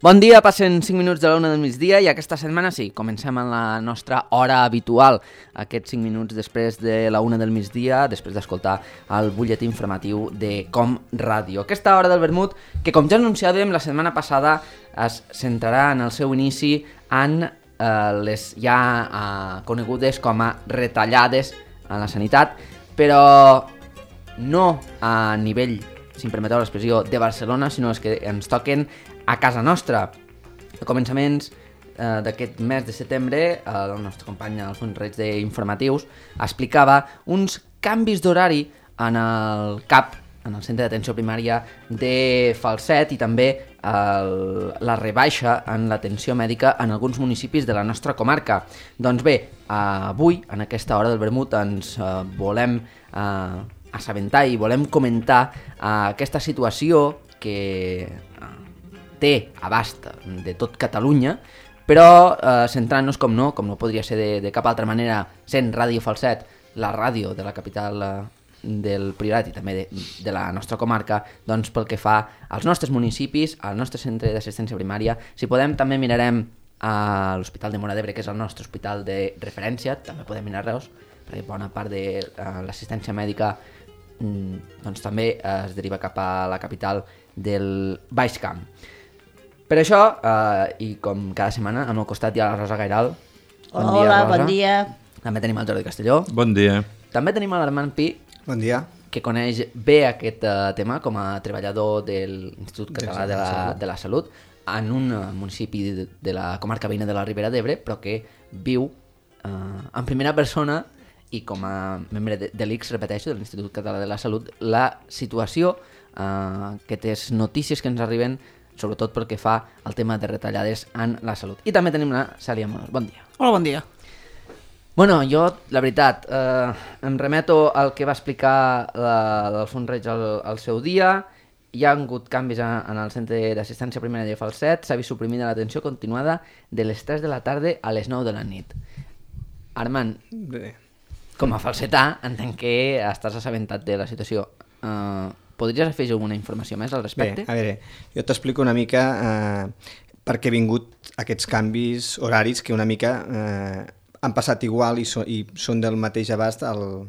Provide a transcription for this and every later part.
Bon dia, passen 5 minuts de l'una del migdia i aquesta setmana sí, comencem en la nostra hora habitual, aquests 5 minuts després de la una del migdia, després d'escoltar el butlletí informatiu de Com Ràdio. Aquesta hora del vermut, que com ja anunciàvem la setmana passada, es centrarà en el seu inici en les ja conegudes com a retallades a la sanitat, però no a nivell, si em permeteu l'expressió, de Barcelona, sinó les que ens toquen a casa nostra. A començaments d'aquest mes de setembre, el nostre company Alfons Reig d'Informatius explicava uns canvis d'horari en el CAP, en el centre d'atenció primària de Falset, i també la rebaixa en l'atenció mèdica en alguns municipis de la nostra comarca. Doncs bé, avui, en aquesta hora del vermut, ens volem assabentar i volem comentar aquesta situació que té abast de tot Catalunya, però centrant-nos, com no podria ser de cap altra manera, sent Ràdio Falset, la ràdio de la capital del Priorat i també de la nostra comarca, doncs pel que fa als nostres municipis, al nostre centre d'assistència primària. Si podem, també mirarem a l'Hospital de Móra d'Ebre, que és el nostre hospital de referència, també podem mirar Reus, perquè bona part de l'assistència mèdica doncs també es deriva cap a la capital del Baix Camp. Per això, i com cada setmana, al meu costat hi ha la Rosa Gairal. Hola, bon dia. També tenim el Jordi Castelló. Bon dia. També tenim l'Armand Pi. Bon dia. Que coneix bé aquest tema com a treballador de l'Institut Català de la Salut en un municipi de la comarca veïna de la Ribera d'Ebre, però que viu en primera persona i com a membre de l'ICS, repeteixo, de l'Institut Català de la Salut, la situació, aquestes notícies que ens arriben, sobretot pel que fa al tema de retallades en la salut. I també tenim la Cèlia Amorós. Bon dia. Hola, bon dia. Bueno, jo, la veritat, em remeto al que va explicar l'Alfons Reig al seu dia. Hi ha hagut canvis en el centre d'assistència primària de Falset. S'ha vist suprimida l'atenció continuada de les 3 de la tarda a les 9 de la nit. Armand, com a falsetà, entenc que estàs assabentat de la situació. Podries afegir alguna informació més al respecte? Bé, a veure, jo t'explico una mica per què han vingut aquests canvis horaris que una mica han passat igual i són del mateix abast al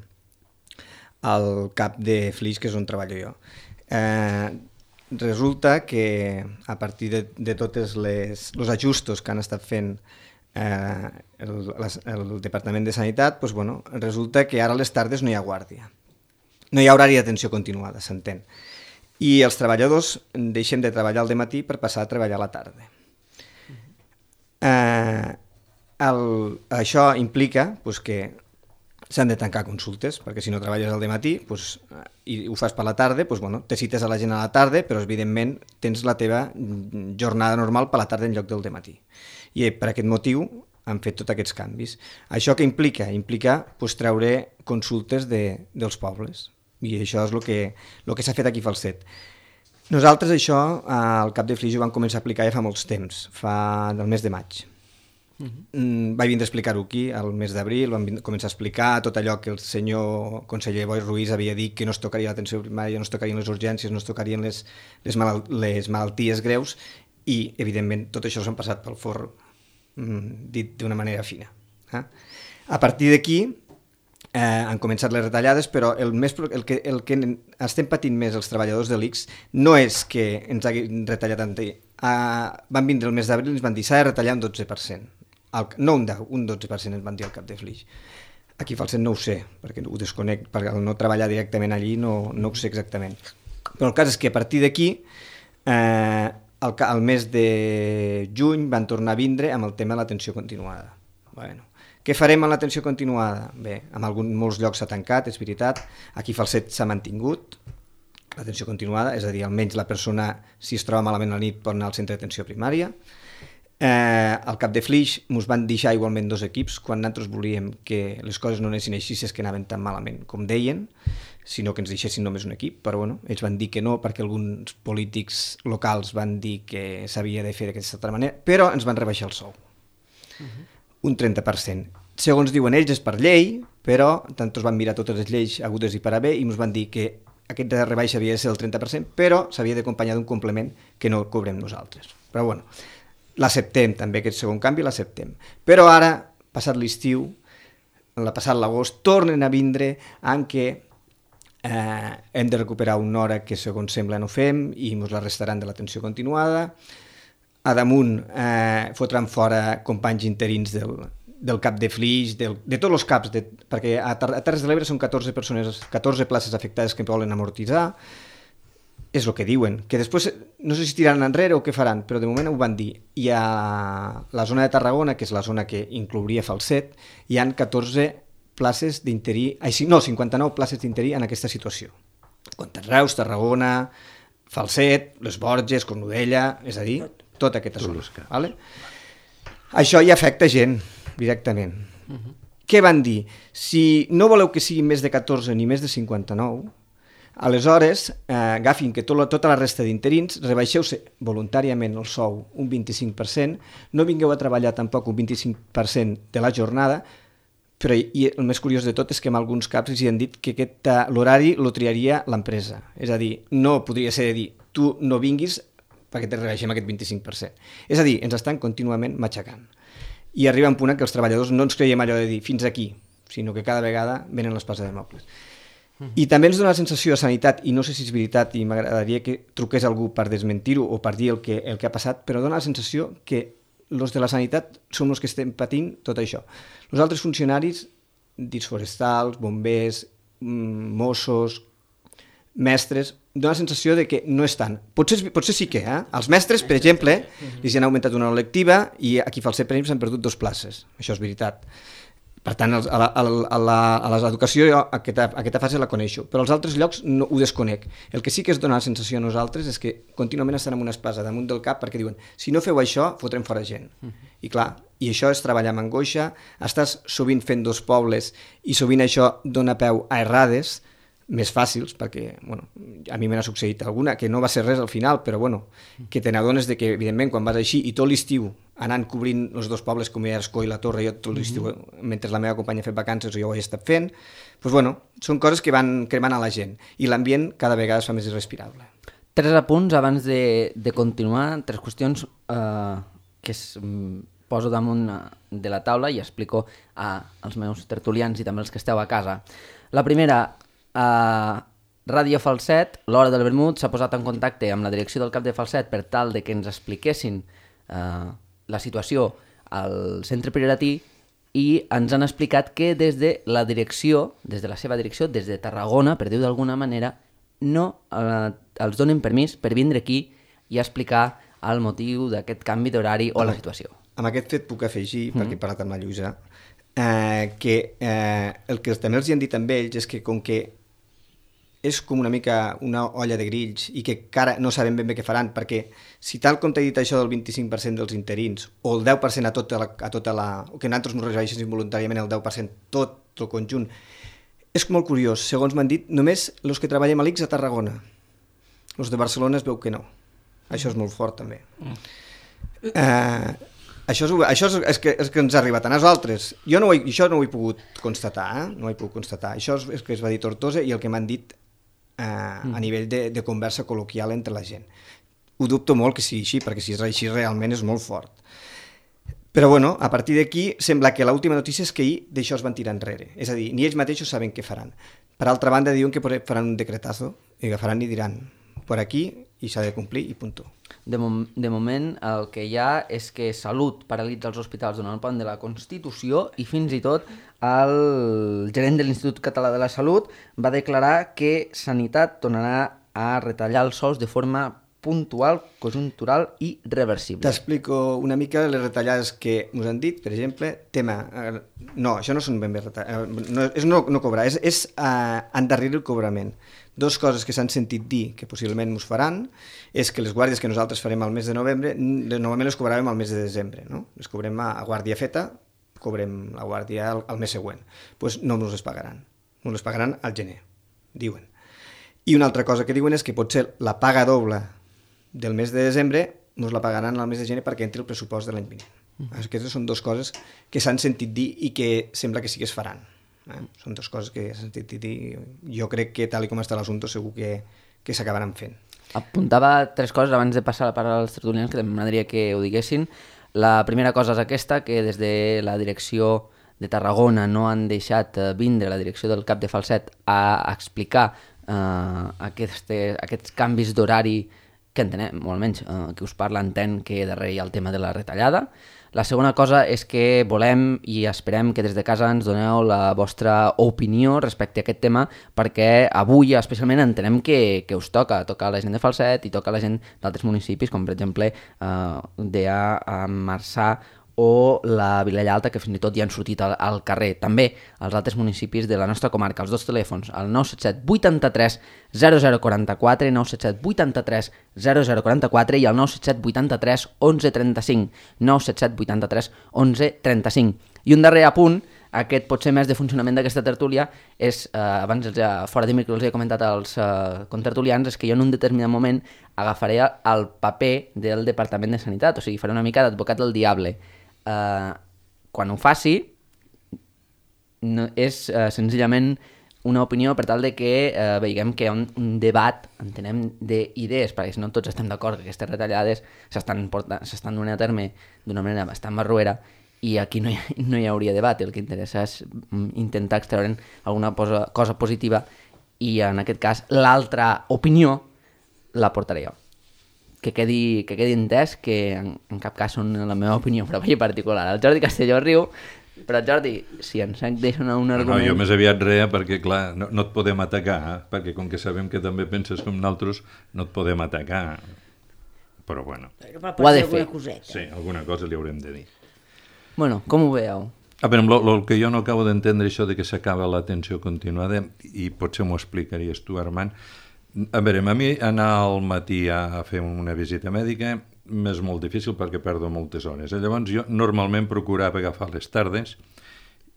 CAP de Flix, que és on treballo jo. Resulta que a partir de tots els ajustos que han estat fent el Departament de Sanitat, doncs, bueno, resulta que ara a les tardes no hi ha guàrdia. No hi ha horari d'atenció continuada, s'entén. I els treballadors deixen de treballar al dematí per passar a treballar a la tarda. Això implica que s'han de tancar consultes, perquè si no treballes al dematí i ho fas per la tarda, te cites a la gent a la tarda, però evidentment tens la teva jornada normal per la tarda en lloc del dematí. I per aquest motiu han fet tots aquests canvis. Això què implica? Implica treure consultes dels pobles. I això és el que s'ha fet aquí a Falset. Nosaltres això al CAP de Flix ho vam començar a aplicar ja fa molts temps, del mes de maig. Vaig vindre a explicar-ho aquí al mes d'abril, vam començar a explicar tot allò que el senyor conseller Boi Ruiz havia dit, que no es tocaria l'atenció primària, no es tocarien les urgències, no es tocarien les malalties greus, i evidentment tot això s'han passat pel forn, dit d'una manera fina. A partir d'aquí han començat les retallades, però el que estem patint més els treballadors de l'ICS no és que ens hagin retallat tant. Van vindre el mes d'abril i ens van dir s'ha de retallar un 12%. No un 12% ens van dir al CAP de Flix. Aquí a Falset no ho sé, perquè ho desconec, perquè al no treballar directament allí no ho sé exactament. Però el cas és que a partir d'aquí, al mes de juny van tornar a vindre amb el tema de l'atenció continuada. Bueno, què farem amb l'atenció continuada? Bé, en molts llocs s'ha tancat, és veritat. Aquí a Falset s'ha mantingut l'atenció continuada, és a dir, almenys la persona, si es troba malament a la nit, pot anar al centre d'atenció primària. Al cap de Flix ens van deixar igualment 2 equips quan nosaltres volíem que les coses no anessin així, si és que anaven tan malament com deien, sinó que ens deixessin només un equip, però bueno, ells van dir que no perquè alguns polítics locals van dir que s'havia de fer d'aquesta altra manera, però ens van rebaixar el sou. Un 30%. Segons diuen ells és per llei, però nosaltres vam mirar totes les lleis hagudes i per haver i ens van dir que aquesta rebaixa havia de ser el 30%, però s'havia d'acompanyar d'un complement que no cobrem nosaltres. Però bueno, l'acceptem també, aquest segon canvi l'acceptem. Però ara, passat l'estiu, passat l'agost, tornen a vindre en què hem de recuperar una hora que segons sembla no fem i ens la restaran de l'atenció continuada. A damunt fotran fora companys interins del cap de Flix, de tots els caps, perquè a Terres de l'Ebre són 14 places afectades que volen amortitzar. És el que diuen, que després no sé si tiraran enrere o què faran, però de moment ho van dir. I a la zona de Tarragona, que és la zona que inclouria Falset, hi han 14 places d'interí, no, 59 places d'interí en aquesta situació. Reus, Tarragona, Falset, les Borges, Cornudella, és a dir, tota aquesta zona. Vale? Això ja afecta gent, directament. Què van dir? Si no voleu que sigui més de 14 ni més de 59, aleshores, agafin que tota la resta d'interins, rebaixeu-se voluntàriament el sou un 25%, no vingueu a treballar tampoc un 25% de la jornada, però i el més curiós de tot és que en alguns caps els han dit que l'horari lo triaria l'empresa. És a dir, no podria ser de dir, tu no vinguis perquè te rebaixem aquest 25%. És a dir, ens estan contínuament matxacant. I arriba un punt en què els treballadors no ens creiem allò de dir fins aquí, sinó que cada vegada venen les passes de mobles. I també ens dona la sensació a Sanitat, i no sé si és veritat i m'agradaria que truqués algú per desmentir-ho o per dir el que ha passat, però dona la sensació que els de la Sanitat som els que estem patint tot això. Els altres funcionaris, dits forestals, bombers, Mossos, mestres, dona la sensació de que no estan. Potser sí que, Els mestres, per exemple, els han augmentat una hora lectiva i aquí a Falset, per exemple, s'han perdut 2 places. Això és veritat. Per tant, a l'educació jo aquesta fase la coneixo, però als altres llocs no, ho desconec. El que sí que es dona la sensació a nosaltres és que contínuament estan amb una espasa damunt del cap perquè diuen, si no feu això, fotrem fora gent. I clar, i això és treballar amb angoixa, estàs sovint fent 2 pobles i sovint això dona peu a errades més fàcils, perquè bueno, a mi me n'ha succeït alguna, que no va ser res al final, però bueno, que te n'adones de que, evidentment, quan vas així i tot l'estiu anant cobrint els 2 pobles com era Escó i la Torre, jo tot l'estiu, mentre la meva companya ha fet vacances, jo ho he estat fent, doncs bueno, són coses que van cremant a la gent, i l'ambient cada vegada es fa més irrespirable. 3 apunts abans de continuar, 3 qüestions que poso damunt de la taula i explico als meus tertulians i també als que esteu a casa. La primera, a Ràdio Falset, l'Hora del Vermut s'ha posat en contacte amb la direcció del cap de Falset per tal de que ens expliquessin la situació al centre prioratí i ens han explicat que des de la direcció, des de la seva direcció, des de Tarragona, per dir-ho d'alguna manera, no els donen permís per vindre aquí i explicar el motiu d'aquest canvi d'horari o la situació. Amb aquest fet puc afegir, perquè he parlat amb la Lluïsa, que el que també els han dit amb ells és que com que és com una mica una olla de grills i que encara no sabem ben bé què faran, perquè si tal com t'he dit això del 25% dels interins o el 10% o que nosaltres no rebaixéssim voluntàriament el 10% tot el conjunt, és molt curiós. Segons m'han dit, només els que treballem a l'ICS a Tarragona. Els de Barcelona es veu que no. Això és molt fort també. Això és que ens ha arribat a nosaltres. Jo això no ho he pogut constatar, no ho he pogut constatar. Això és que es va dir Tortosa i el que m'han dit a nivell de conversa col·loquial entre la gent. Ho dubto molt que sigui així, perquè si és així realment és molt fort. Però bueno, a partir d'aquí sembla que l'última notícia és que ahir d'això es van tirar enrere. És a dir, ni ells mateixos saben què faran. Per altra banda, diuen que faran un decretazo i agafaran i diran per aquí i s'ha de complir i punto. De moment el que hi ha és que Salut paralitza els hospitals donant el pont de la Constitució i fins i tot el gerent de l'Institut Català de la Salut va declarar que Sanitat tornarà a retallar els sous de forma puntual, conjuntural i reversible. T'explico una mica les retallades que us han dit, per exemple, tema... No, això no són ben bé retallades, és no cobrar, és endarrerir el cobrament. Dos coses que s'han sentit dir que possiblement us faran és que les guàrdies que nosaltres farem al mes de novembre, normalment les cobràvem al mes de desembre, no? Les cobrem a guàrdia feta, cobrem la guàrdia al mes següent. Doncs no ens les pagaran, ens les pagaran al gener, diuen. I una altra cosa que diuen és que potser la paga doble del mes de desembre ens la pagaran al mes de gener perquè entri el pressupost de l'any vinent. Aquestes són dues coses que s'han sentit dir i que sembla que sí que es faran. Són dues coses que s'han sentit dir. Jo crec que tal com està l'assumpte segur que s'acabaran fent. Apuntava tres coses abans de passar la paraula als tertulians que m'agradaria que ho diguessin. La primera cosa és aquesta, que des de la direcció de Tarragona no han deixat vindre la direcció del cap de Falset a explicar aquests canvis d'horari que entenem, molt menys, qui us parla entén que darrere hi ha el tema de la retallada. La segona cosa és que volem i esperem que des de casa ens doneu la vostra opinió respecte a aquest tema, perquè avui especialment entenem que us toca a la gent de Falset i toca a la gent d'altres municipis, com per exemple a Marçà o la Vilella Alta, que fins i tot ja han sortit al carrer. També als altres municipis de la nostra comarca. Els dos telèfons, el 977 83 0044, 977 83 0044 i el 977 83 11 35, 977 83 11 35. I un darrer apunt, aquest potser més de funcionament d'aquesta tertúlia, és, abans fora de micro els he comentat als contertulians, és que jo en un determinat moment agafaré el paper del Departament de Sanitat, o sigui, faré una mica d'advocat del diable. Quan ho faci és senzillament una opinió per tal de que veiem que hi ha un debat, entenem, d'idees, perquè si no tots estem d'acord que aquestes retallades s'estan donant a terme d'una manera bastant barroera i aquí no hi hauria debat, el que interessa és intentar extreure'n alguna cosa positiva i en aquest cas l'altra opinió la portaré jo. Que quedi entès que en cap cas són la meva opinió pròpia i particular. El Jordi Castelló riu, però Jordi, si ens deixen un argument... No, jo més aviat rea perquè, clar, no et podem atacar, perquè com que sabem que també penses com nosaltres, no et podem atacar. Però bueno. Ho ha de fer. Sí, alguna cosa li haurem de dir. Bueno, com ho veieu? A veure, el que jo no acabo d'entendre això de que s'acaba l'atenció continuada, i potser m'ho explicaries tu, Armand. A veure, a mi anar al matí a fer una visita mèdica m'és molt difícil perquè perdo moltes hores. Llavors jo normalment procurava agafar les tardes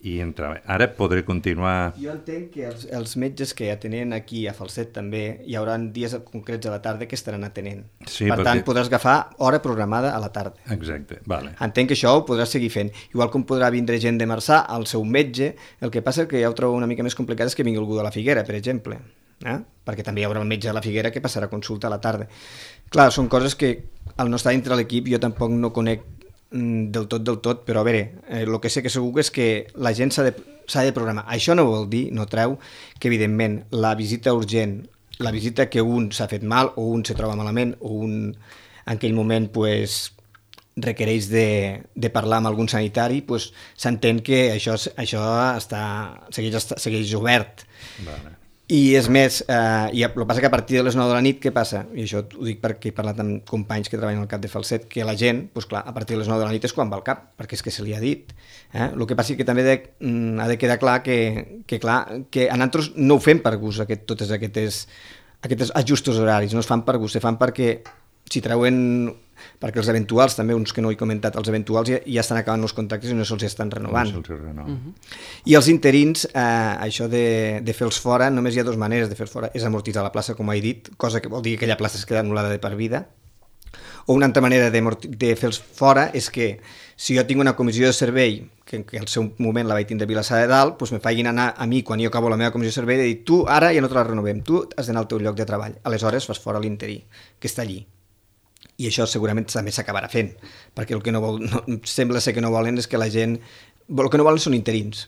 i entrar. Ara podré continuar... Jo entenc que els metges que atenen aquí a Falset també hi haurà dies concrets a la tarda que estaran atenent. Sí, per tant, podràs agafar hora programada a la tarda. Exacte, vale. Entenc que això ho podràs seguir fent. Igual com podrà vindre gent de Marçà al seu metge, el que passa que ja ho trobo una mica més complicat és que vingui algú de la Figuera, per exemple. Perquè també hi haurà un metge a la Figuera que passarà a consulta a la tarda. Clar, són coses que al no estar dintre l'equip jo tampoc no conec del tot, però a veure, el que sé que segur és que la gent s'ha de programar. Això no vol dir, no treu, que evidentment la visita urgent, la visita que un s'ha fet mal o un se troba malament o un en aquell moment requereix de parlar amb algun sanitari, s'entén que això segueix obert. Vale. I és més, i el que passa que a partir de les 9 de la nit, què passa? I això ho dic perquè he parlat amb companys que treballen al cap de Falset, que la gent, clar, a partir de les 9 de la nit és quan va al cap, perquè és que se li ha dit. El que passa és que també ha de quedar clar que a nosaltres no ho fem per gust, totes aquests ajustos horaris, no es fan per gust, se fan perquè si treuen... perquè els eventuals, també uns que no he comentat, els eventuals ja estan acabant els contractes i no se'ls estan renovant. I els interins, això de fer-los fora, només hi ha dues maneres de fer-los fora. És amortitzar la plaça, com he dit, cosa que vol dir que aquella plaça es queda anul·lada de per vida. O una altra manera de fer-los fora és que si jo tinc una comissió de servei, que al seu moment la vaig tindre a Vilassar de Dalt, doncs me facin anar a mi, quan jo acabo la meva comissió de servei, de dir, tu ara ja no te la renovem, tu has d'anar al teu lloc de treball. Aleshores fas fora l'interí, que està allí. I això segurament també s'acabarà fent, perquè el que sembla ser que no volen és que la gent... El que no volen són interins,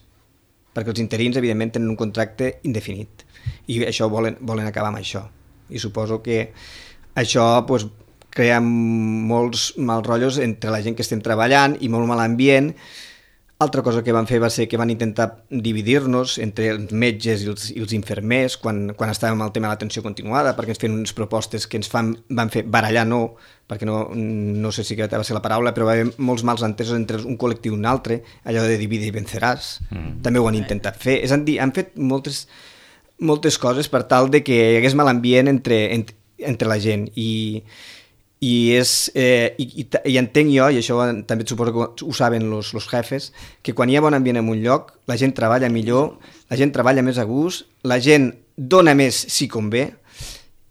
perquè els interins, evidentment, tenen un contracte indefinit, i això volen acabar amb això. I suposo que això crea molts mals rotllos entre la gent que estem treballant i molt mal ambient. Altra cosa que van fer va ser que van intentar dividir-nos entre els metges i els infermers quan estàvem al tema de l'atenció continuada, perquè ens feien unes propostes que van fer barallar, perquè no sé si va ser la paraula, però va haver molts mals entesos entre un col·lectiu i un altre, allò de divide i venceràs. També ho han intentat fer. És a dir, han fet moltes coses per tal de que hi hagués mal ambient entre la gent i entenc jo, i això també suposo que ho saben los jefes, que quan hi ha bon ambient en un lloc, la gent treballa millor, la gent treballa més a gust, la gent dona més si convé,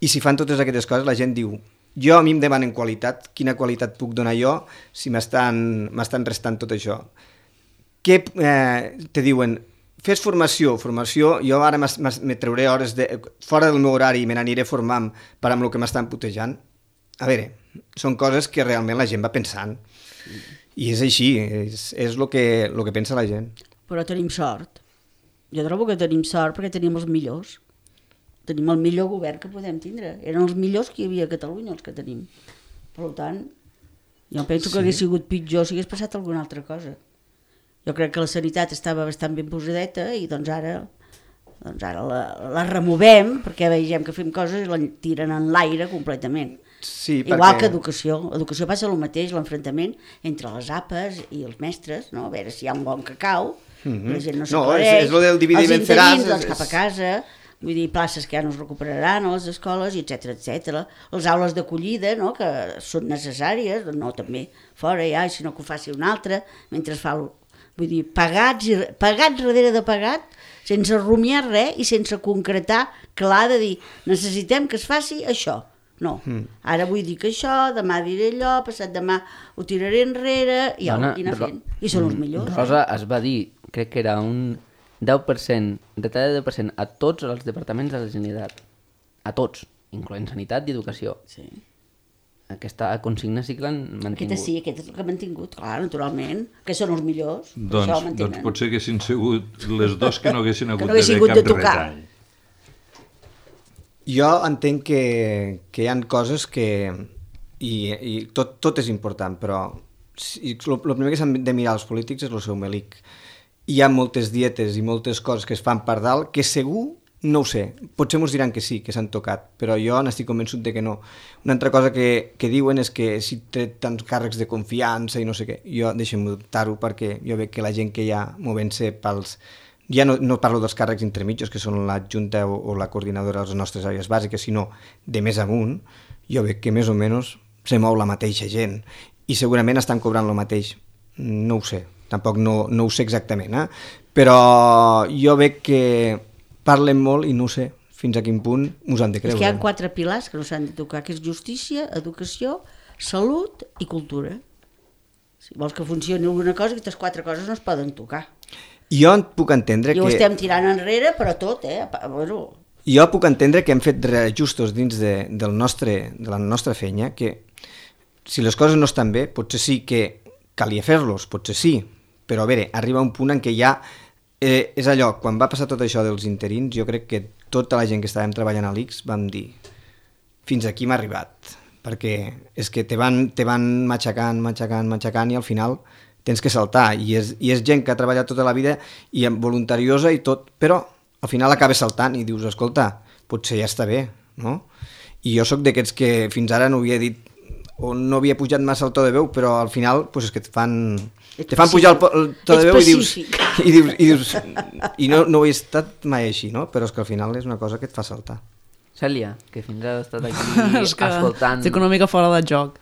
i si fan totes aquestes coses, la gent diu, a mi em demanen qualitat, quina qualitat puc donar jo si m'estan restant tot això? Què te diuen? Fes formació, jo ara me trauré hores fora del meu horari i me n'aniré formant per amb el que m'estan putejant. A veure, són coses que realment la gent va pensant i és així, és el que pensa la gent. Però tenim sort. Jo trobo que tenim sort perquè tenim els millors. Tenim el millor govern que podem tindre. Eren els millors que hi havia a Catalunya, els que tenim. Per tant, jo penso que hagués sigut pitjor si hagués passat alguna altra cosa. Jo crec que la sanitat estava bastant ben posadeta i doncs ara la removem perquè vegem que fem coses i la tiren en l'aire completament. Sí, igual que educació passa el mateix, l'enfrontament entre les APAs i els mestres, no? A veure si hi ha un bon cacau, la gent no s'aclareix, és el del dividir i venceràs, doncs cap a casa, vull dir, places que ja no es recuperaran a les escoles, etc. Les aules d'acollida, no? Que són necessàries, no també fora ja, sinó que ho faci un altre, mentre es fa, vull dir, pagats darrere de pagat, sense rumiar res i sense concretar clar de dir, necessitem que es faci això. No, ara vull dir que això, demà diré allò, passat demà ho tiraré enrere i anar fent. I són els millors. Rosa es va dir, crec que era un 10%, retallada de 10% a tots els departaments de la Generalitat. A tots, incloent sanitat i educació. Sí. Aquesta consigna sí que l'han mantingut. Aquesta és el que han mantingut, clar, naturalment, que són els millors. Doncs potser haguessin sigut les dos que no haguessin hagut de retall. Jo entenc que hi ha coses que... I tot és important, però el primer que s'han de mirar els polítics és el seu melic. Hi ha moltes dietes i moltes coses que es fan per dalt que segur, no ho sé, potser ens diran que sí, que s'han tocat, però jo n'estic convençut de que no. Una altra cosa que diuen és que si té tants càrrecs de confiança i no sé què, jo deixem-ho dubtar-ho perquè jo veig que la gent que hi ha movent-se pels... Ja no parlo dels càrrecs intermitjos, que són l'adjunta o la coordinadora de les nostres àrees bàsiques, sinó de més amunt, jo veig que més o menys se mou la mateixa gent i segurament estan cobrant el mateix. No ho sé, tampoc no ho sé exactament, però jo veig que parlen molt i no sé fins a quin punt us han de creure. És que hi ha 4 pilars que no s'han de tocar, que és justícia, educació, salut i cultura. Si vols que funcioni alguna cosa, aquestes 4 coses no es poden tocar. Jo puc entendre que... I ho estem tirant enrere, però tot, Bueno. Jo puc entendre que hem fet reajustos dins de la nostra feina, que si les coses no estan bé, potser sí que calia fer-los, potser sí, però a veure, arriba un punt en què ja és allò, quan va passar tot això dels interins, jo crec que tota la gent que estàvem treballant a l'ICS vam dir, fins aquí m'ha arribat, perquè és que te van matxacant i al final tens que saltar, i és gent que ha treballat tota la vida i voluntariosa i tot, però al final acabes saltant i dius, escolta, potser ja està bé, no? I jo sóc d'aquests que fins ara no havia dit o no havia pujat massa el to de veu, però al final pues, és que te fan pujar el to de veu i dius i no ho he estat mai així, no? Però és que al final és una cosa que et fa saltar. Cèlia, que fins ara has estat aquí escoltant... Estic una mica fora de joc.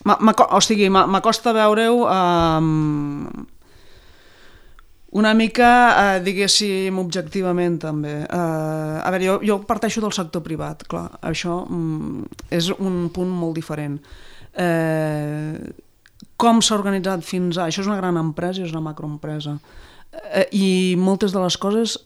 O sigui, m'acosta veure-ho una mica, diguéssim, objectivament també. A veure, jo parteixo del sector privat, clar, això és un punt molt diferent. Com s'ha organitzat fins a... Això és una gran empresa, és una macroempresa. I moltes de les coses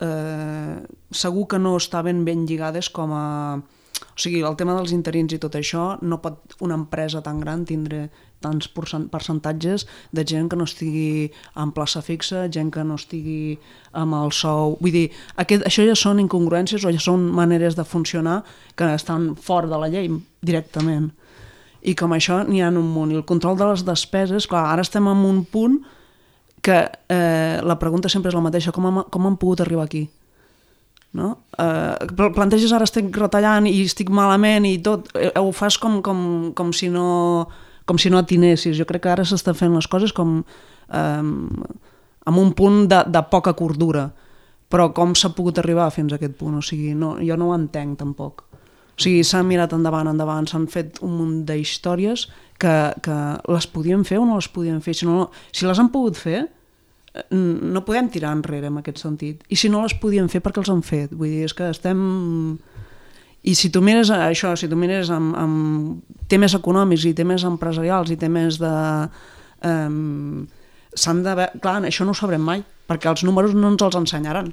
segur que no estaven ben lligades com a... O sigui, el tema dels interins i tot això, no pot una empresa tan gran tindre tants percentatges de gent que no estigui en plaça fixa, gent que no estigui amb el sou... Vull dir, això ja són incongruències o ja són maneres de funcionar que estan fora de la llei directament. i com això n'hi ha un munt. I el control de les despeses, clar, ara estem en un punt que la pregunta sempre és la mateixa, com han pogut arribar aquí? No? Planteges ara estic retallant i estic malament i tot, ho fas com si no atinessis. Jo crec que ara s'estan fent les coses com amb un punt de poca cordura, però com s'ha pogut arribar fins a aquest punt? O sigui, jo no ho entenc tampoc. O sigui, s'han mirat endavant, s'han fet un munt d'històries que les podien fer o no les podien fer. Si les han pogut fer, no podem tirar enrere en aquest sentit. I si no les podien fer, per què els han fet? Vull dir, és que estem... I si tu mires això, si tu mires amb temes econòmics i temes empresarials i temes de... Clar, això no ho sabrem mai, perquè els números no ens els ensenyaran.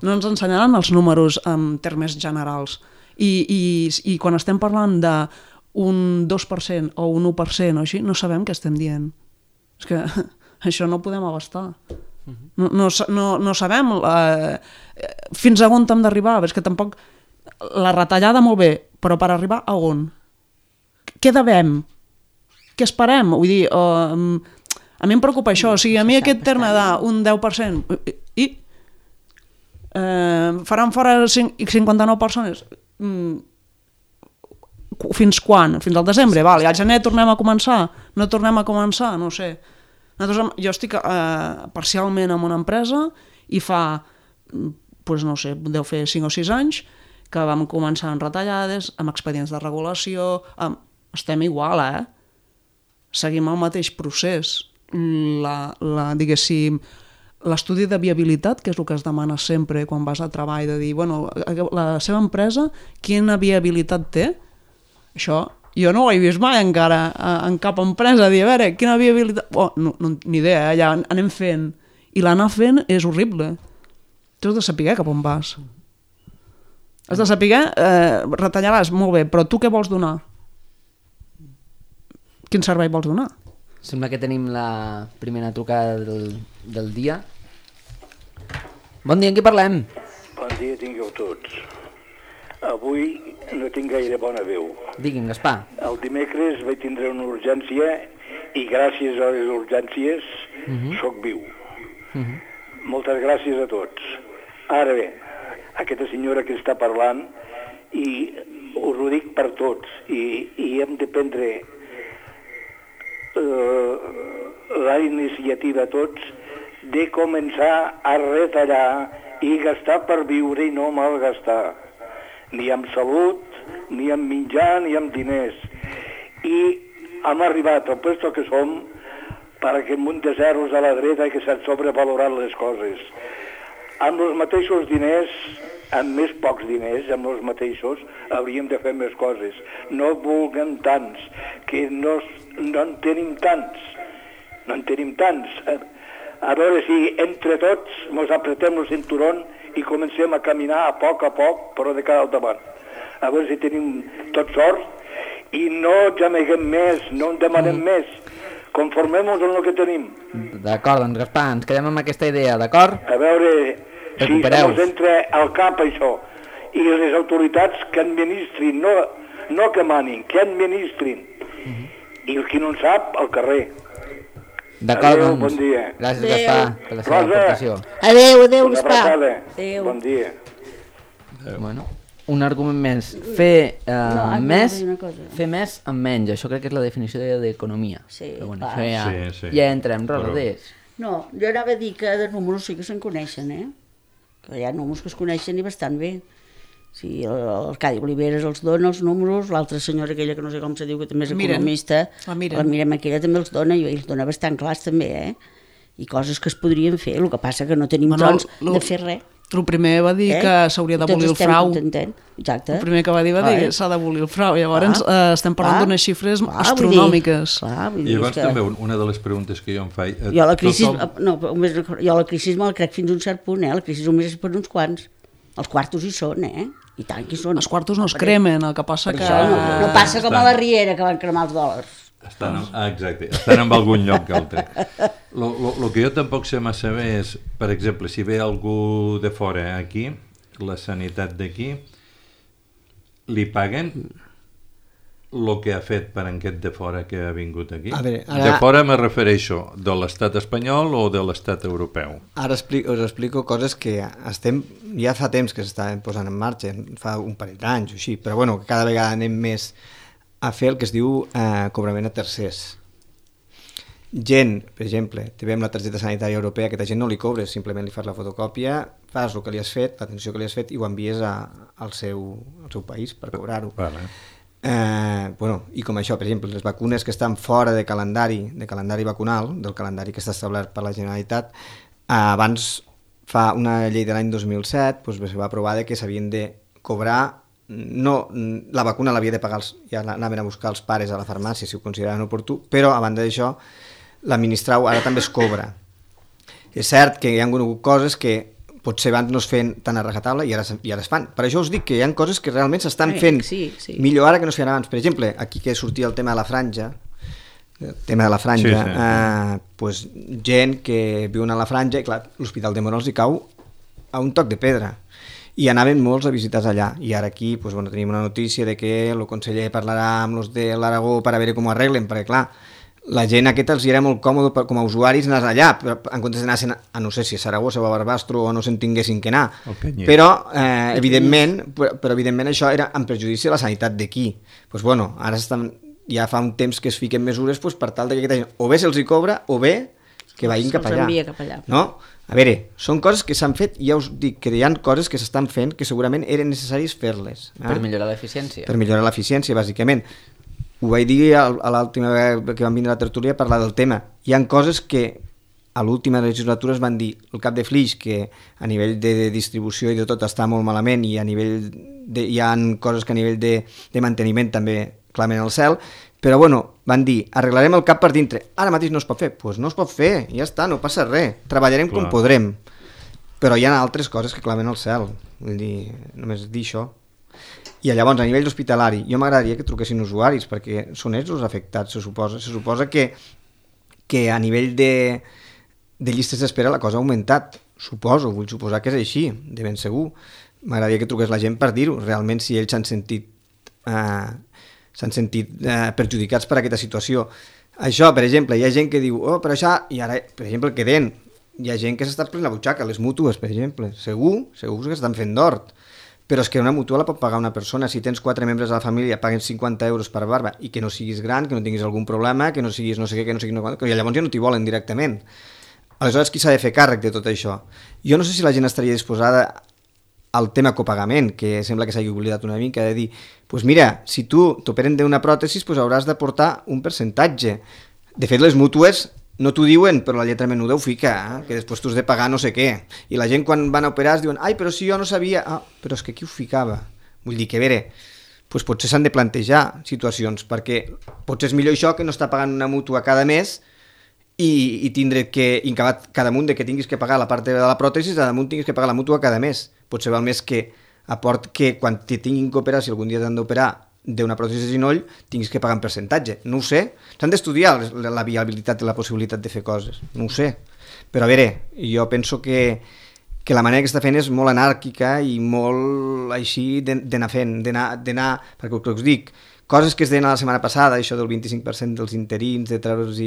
No ens ensenyaran els números en termes generals. I quan estem parlant d'un 2% o un 1% o així, no sabem què estem dient. És que això no ho podem abastar. No sabem fins a on hem d'arribar. És que tampoc... La retallada molt bé, però per arribar a on? Què devem? Què esperem? Vull dir, a mi em preocupa això. O sigui, a mi aquest terme d'un 10%... I? Faran fora 59 persones? Fins quan? Fins al desembre? Val, i al gener tornem a començar? No tornem a començar? No ho sé. Jo estic parcialment en una empresa i fa, no sé, deu fer 5 o 6 anys que vam començar amb retallades, amb expedients de regulació, estem igual, seguim el mateix procés. Diguéssim, l'estudi de viabilitat, que és el que es demana sempre quan vas a treball, de dir, bueno, la seva empresa, quina viabilitat té? Això jo no ho he vist mai encara en cap empresa, dir, a veure, quina viabilitat... ni idea, ja anem fent. I l'anar fent és horrible. Tu has de saber cap on vas. Has de saber, retallaràs, molt bé, però tu què vols donar? Quin servei vols donar? Sembla que tenim la primera trucada del dia. Bon dia, en qui parlem? Bon dia tingueu tots. Avui no tinc gaire bona veu. Digui'm, Gaspar. El dimecres vaig tindre una urgència i gràcies a les urgències sóc viu. Moltes gràcies a tots. Ara bé, aquesta senyora que està parlant, i us ho dic per tots, i hem de prendre la iniciativa tots de començar a retallar i gastar per viure i no malgastar, ni amb salut, ni amb menjar, ni amb diners. I hem arribat al puesto que som perquè amb un de zeros a la dreta que s'han sobrevalorat les coses. Amb els mateixos diners, amb més pocs diners, amb els mateixos, hauríem de fer més coses. No vulguem tants, que no en tenim tants. No en tenim tants. A veure si entre tots ens apretem el cinturón i comencem a caminar a poc, però de cara al davant. A veure si tenim tot sort i no gemeguem més, no en demanem més. Conformem-nos amb el que tenim. D'acord, doncs Gaspar, ens quedem amb aquesta idea, d'acord? A veure si ens entra al cap això. I les autoritats que administrin, no que manin, que administrin. I el qui no en sap, al carrer. D'acord, adéu, doncs. Bon dia. Gràcies, Gaspar, per la seva aportació. Adéu, Gaspar. Adéu. Bon dia. Bueno, un argument més. Fer més amb menys. Això crec que és la definició d'economia. Sí, però bueno, clar. això ja entrem, Rodés. No, jo anava a dir que de números sí que se'n coneixen, que hi ha números que es coneixen i bastant bé. Sí, l'Arcadi Oliveres els dona els números, l'altra senyora aquella que no sé com se diu, que també és economista, la Mirem aquella també els dona, i els dona bastant clars també, i coses que es podrien fer, el que passa que no tenim trons de fer res. El primer va dir que s'hauria d'abolir el frau. Exacte. El primer que va dir que s'ha d'abolir el frau. Llavors estem parlant d'unes xifres astronòmiques. I llavors també una de les preguntes que jo em faig... Jo la crisi me la crec fins a un cert punt, la crisi només és per uns quants. Els quartos hi són, i tant que hi són. Els quartos no es cremen, el que passa que... No passa com a la Riera, que van cremar els dòlars. Exacte, estan en algun lloc altre. El que jo tampoc sé massa bé és, per exemple, si ve algú de fora aquí, la sanitat d'aquí, li paguen? el que ha fet per aquest de fora que ha vingut aquí? A veure, ara... De fora me refereixo de l'estat espanyol o de l'estat europeu? Ara us explico coses que ja fa temps que s'estaven posant en marxa, fa un parell d'anys o així, però bueno, cada vegada anem més a fer el que es diu cobrament a tercers. Gent, per exemple, te ve amb la targeta sanitària europea, aquesta gent no li cobres, simplement li fas la fotocòpia, fas el que li has fet, l'atenció que li has fet i ho envies al seu país per cobrar-ho. Vale. I com això, per exemple, les vacunes que estan fora de calendari vacunal, del calendari que està establert per la Generalitat, abans, fa una llei de l'any 2007, es va aprovar que s'havien de cobrar, no, la vacuna l'havia de pagar, ja anaven a buscar els pares a la farmàcia si ho consideraven oportú, però a banda d'això, l'administrau ara també es cobra. És cert que hi ha hagut coses que potser abans no es feien tan a rajatabla i ara es fan. Per això us dic que hi ha coses que realment s'estan fent millor ara que no es feien abans. Per exemple, aquí que sortia el tema de la franja, pues, gent que viuen a la franja i clar, l'Hospital de Mora els hi cau a un toc de pedra. I anaven molts a visitar allà. I ara aquí pues, tenim una notícia de que el conseller parlarà amb els de l'Aragó per a veure com ho arreglen, perquè clar, la gent aquesta els era molt còmode com a usuaris anar allà, però en comptes d'anar a no sé si a Saragossa o a Barbastro o no se'n tinguessin que anar. Però evidentment això era en perjudici de la sanitat d'aquí. Pues bueno, ara ja fa un temps que es fiquen mesures pues, per tal que aquesta gent o bé se'ls hi cobra o bé que vagin cap allà. No? A veure, són coses que s'han fet i ja us dic que hi ha coses que s'estan fent que segurament eren necessaris fer-les. Per millorar l'eficiència. Per millorar l'eficiència, bàsicament. Ho vaig dir a l'última vegada que vam vindre a la tertúlia a parlar del tema. Hi ha coses que a l'última legislatura es van dir el cap de Flix, que a nivell de distribució i de tot està molt malament i hi ha coses que a nivell de manteniment també clamen al cel, però bueno, van dir, arreglarem el cap per dintre. Ara mateix no es pot fer. Doncs no es pot fer, ja està, no passa res. Treballarem com podrem. Però hi ha altres coses que clamen al cel. Vull dir, només dir això. I llavors, a nivell hospitalari, jo m'agradaria que truquessin usuaris, perquè són ells els afectats, se suposa que a nivell de llistes d'espera la cosa ha augmentat. Vull suposar que és així, de ben segur. M'agradaria que truqués la gent per dir-ho, realment si ells s'han sentit perjudicats per aquesta situació. Això, per exemple, hi ha gent que diu però això, i ara, per exemple, el que deien, hi ha gent que s'està prenent la butxaca, les mútues, per exemple, segur que estan fent d'hort. Però és que una mútua la pot pagar una persona. Si tens 4 membres de la família, paguen 50 euros per barba i que no siguis gran, que no tinguis algun problema, que no siguis no sé què, que no siguis no què, que llavors ja no t'hi volen directament. Aleshores, qui s'ha de fer càrrec de tot això? Jo no sé si la gent estaria disposada al tema copagament, que sembla que s'hagi oblidat una mica, de dir, pues mira, si tu t'operen d'una pròtesi, pues hauràs d'aportar un percentatge. De fet, les mútues no t'ho diuen, però la lletra menuda ho fica, que després tu has de pagar no sé què. I la gent quan van a operar es diuen, ai, però si jo no sabia... però és que qui ho ficava? Vull dir que, a veure, doncs potser s'han de plantejar situacions, perquè potser és millor això que no estar pagant una mútua cada mes i tindre que, cada munt de que tinguis que pagar la part de la pròtesi, cada munt tinguis que pagar la mútua cada mes. Potser val més que que quan te tinguin que operar, si algun dia t'han d'operar, d'una pròtesi de ginoll, tinguis que pagar en percentatge. No ho sé. S'han d'estudiar la viabilitat i la possibilitat de fer coses. No ho sé. Però a veure, jo penso que la manera que està fent és molt anàrquica i molt així d'anar fent, perquè el que us dic, coses que es deien la setmana passada, això del 25% dels interins, de treure'ls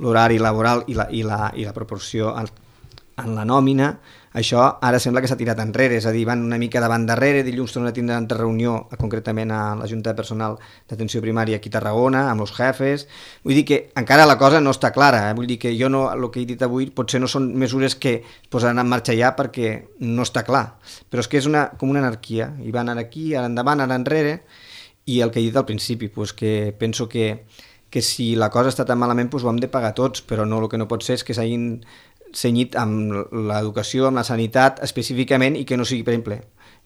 l'horari laboral i la proporció en la nòmina, això ara sembla que s'ha tirat enrere, és a dir, van una mica davant darrere, dilluns tornen a tindre una reunió, concretament a la Junta de Personal d'Atenció Primària aquí a Tarragona, amb els jefes, vull dir que encara la cosa no està clara, vull dir que jo no, el que he dit avui potser no són mesures que es posaran en marxa ja perquè no està clar, però és que és com una anarquia, i van ara aquí, ara endavant, ara enrere, i el que he dit al principi, pues que penso que si la cosa està tan malament pues ho hem de pagar tots, però no, el que no pot ser és que s'hagin cenyit amb l'educació, amb la sanitat específicament i que no sigui, per exemple,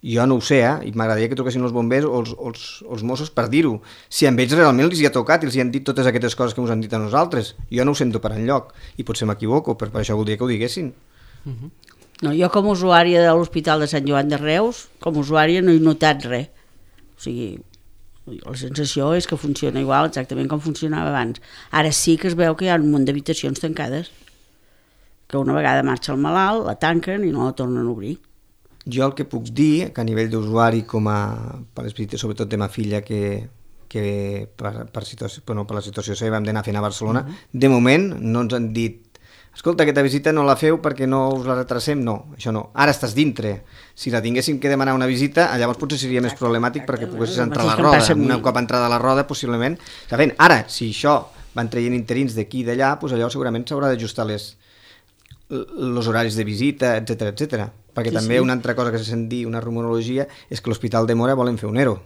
jo no ho sé, i m'agradaria que toquessin els bombers o els Mossos per dir-ho, si amb ells realment els hi ha tocat i els hi han dit totes aquestes coses que ens han dit a nosaltres. Jo no ho sento per enlloc i potser m'equivoco, per això voldria que ho diguessin. No, jo com a usuària de l'Hospital de Sant Joan de Reus, com a usuària no he notat res. O sigui, la sensació és que funciona igual exactament com funcionava abans. Ara sí que es veu que hi ha un munt d'habitacions tancades, que una vegada marxa el malalt, la tanquen i no la tornen a obrir. Jo el que puc dir, que a nivell d'usuari, com a per les visites, sobretot de ma filla, que que per la situació seva hem d'anar fent a Barcelona. De moment no ens han dit escolta, aquesta visita no la feu perquè no us la retrasem, no, això no. Ara estàs dintre. Si la tinguéssim que demanar una visita, llavors potser seria més problemàtic perquè poguessis entrar a la roda. Un cop entrada a la roda, possiblement... Ara, si això van traient interins d'aquí i d'allà, doncs allò segurament s'haurà d'ajustar els horaris de visita, etc. Perquè també una altra cosa que se sent dir, una rumorologia, és que l'Hospital de Móra volen fer un ERO.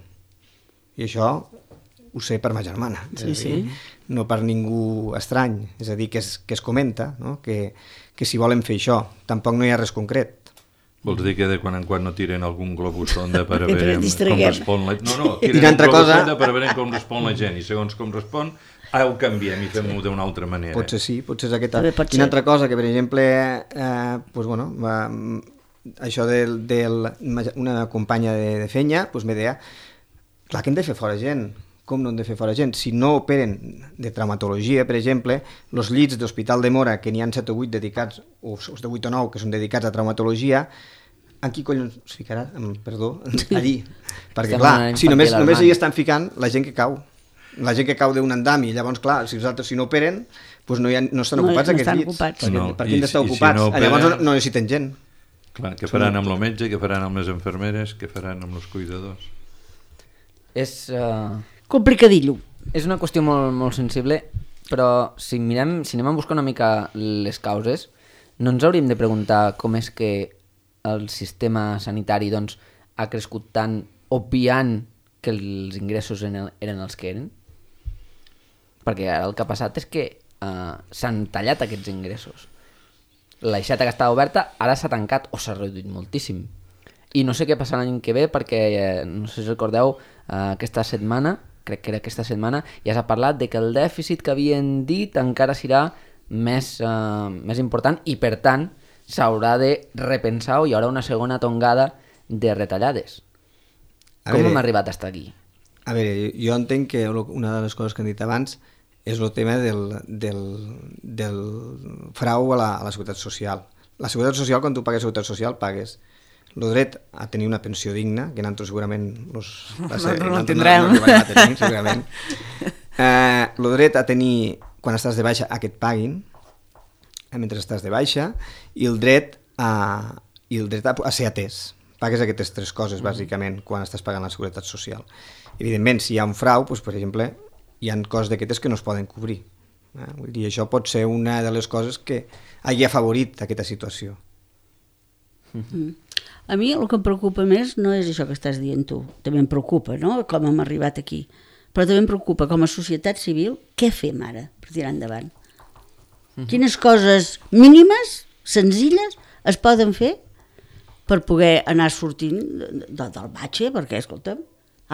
I això ho sé per ma germana, no per ningú estrany, és a dir, que es comenta, no? que si volen fer això, tampoc no hi ha res concret. Vols dir que de quan en quan no tiren algun globus sonda per a veure com respon la gent? No, tiren un globus sonda per a veure com respon la gent, i segons com respon, ho canviem i fem-ho d'una altra manera. Potser sí, potser és aquesta. I una altra cosa que, per exemple, això d'una companya de fenya, me deia, clar que hem de fer fora gent. Com no hem de fer fora gent? Si no operen de traumatologia, per exemple, els llits d'Hospital de Móra, que n'hi ha 7 o 8 dedicats, o de 8 o 9 que són dedicats a traumatologia, en qui collons es ficarà? Perdó, allí. Perquè clar, si només hi estan ficant la gent que cau. La gent que cau d'un andam i llavors, clar, si els altres si no operen, doncs no estan ocupats aquests llits. Per què han d'estar ocupats? Llavors no necessiten gent. Clar, què faran amb el metge, què faran amb les infermeres, què faran amb els cuidadors? És... complicadillo. És una qüestió molt sensible, però si anem a buscar una mica les causes, no ens hauríem de preguntar com és que el sistema sanitari doncs, ha crescut tant obviant que els ingressos eren els que eren? Perquè ara el que ha passat és que s'han tallat aquests ingressos. L'aixeta que estava oberta ara s'ha tancat o s'ha reduït moltíssim. I no sé què passarà l'any que ve perquè, no sé si recordeu, aquesta setmana, crec que era aquesta setmana, ja s'ha parlat de que el dèficit que havien dit encara serà més important i, per tant, s'haurà de repensar o hi haurà una segona tongada de retallades. Com hem arribat fins aquí? A veure, jo entenc que una de les coses que han dit abans és el tema del frau a la Seguretat Social. La Seguretat Social, quan tu pagues Seguretat Social, pagues el dret a tenir una pensió digna, que nosaltres segurament no tindrem. Segurament. El dret a tenir, quan estàs de baixa, a que et paguin, mentre estàs de baixa, i el dret a ser atès. Pagues aquestes 3 coses, bàsicament, quan estàs pagant la Seguretat Social. Evidentment, si hi ha un frau, doncs, per exemple, hi ha coses d'aquestes que no es poden cobrir. Vull dir, això pot ser una de les coses que hagi afavorit aquesta situació. A mi el que em preocupa més no és això que estàs dient tu, també em preocupa, no?, com hem arribat aquí, però també em preocupa com a societat civil què fem ara per tirar endavant. Quines coses mínimes, senzilles, es poden fer per poder anar sortint del batxe, perquè, escolta'm,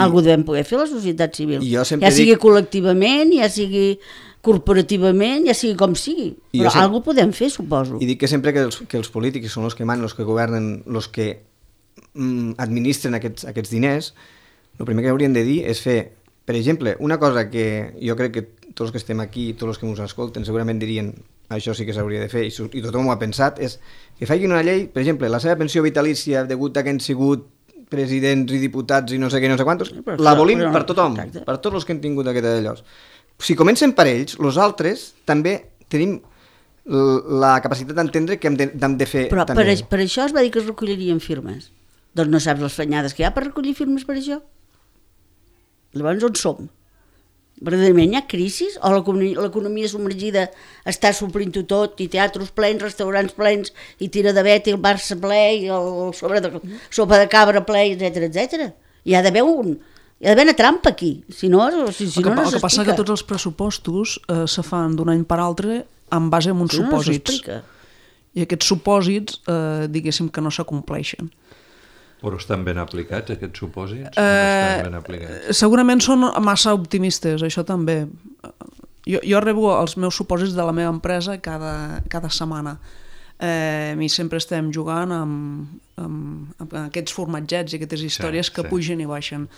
alguna devem poder fer la societat civil, ja sigui col·lectivament, ja sigui corporativament, ja sigui com sigui, però alguna podem fer, suposo. I dic que sempre que els polítics són els que manen, els que governen, els que administren aquests diners, el primer que haurien de dir és fer, per exemple, una cosa que jo crec que tots els que estem aquí, tots els que ens escolten, segurament dirien això sí que s'hauria de fer, i tothom ho ha pensat, és que facin una llei, per exemple, la seva pensió vitalícia, degut a que han sigut presidents i diputats i no sé què, no sé quantos, l'abolim per tothom, per tots els que han tingut aquest d'allò. Si comencem per ells, els altres també tenim la capacitat d'entendre que hem de fer però també. Per això es va dir que es recollirien firmes. Doncs no saps les fenyades que hi ha per recollir firmes per això? Llavors on som? Verdaderament hi ha crisis? O l'economia submergida està suplint-ho tot, i teatres plens, restaurants plens, i tira de vet, i el Barça ple, i el sopa de cabra ple, etc. Hi ha d'haver una trampa aquí, si no s'explica. El que passa que tots els pressupostos se fan d'un any per altre en base a uns supòsits. I aquests supòsits, diguéssim que no s'acompleixen. Però estan ben aplicats, aquests supòsits? Estan ben aplicats? Segurament són massa optimistes, això també. Jo rebo els meus supòsits de la meva empresa cada setmana. I sempre estem jugant amb aquests formatgets i aquestes històries que pugen i baixen.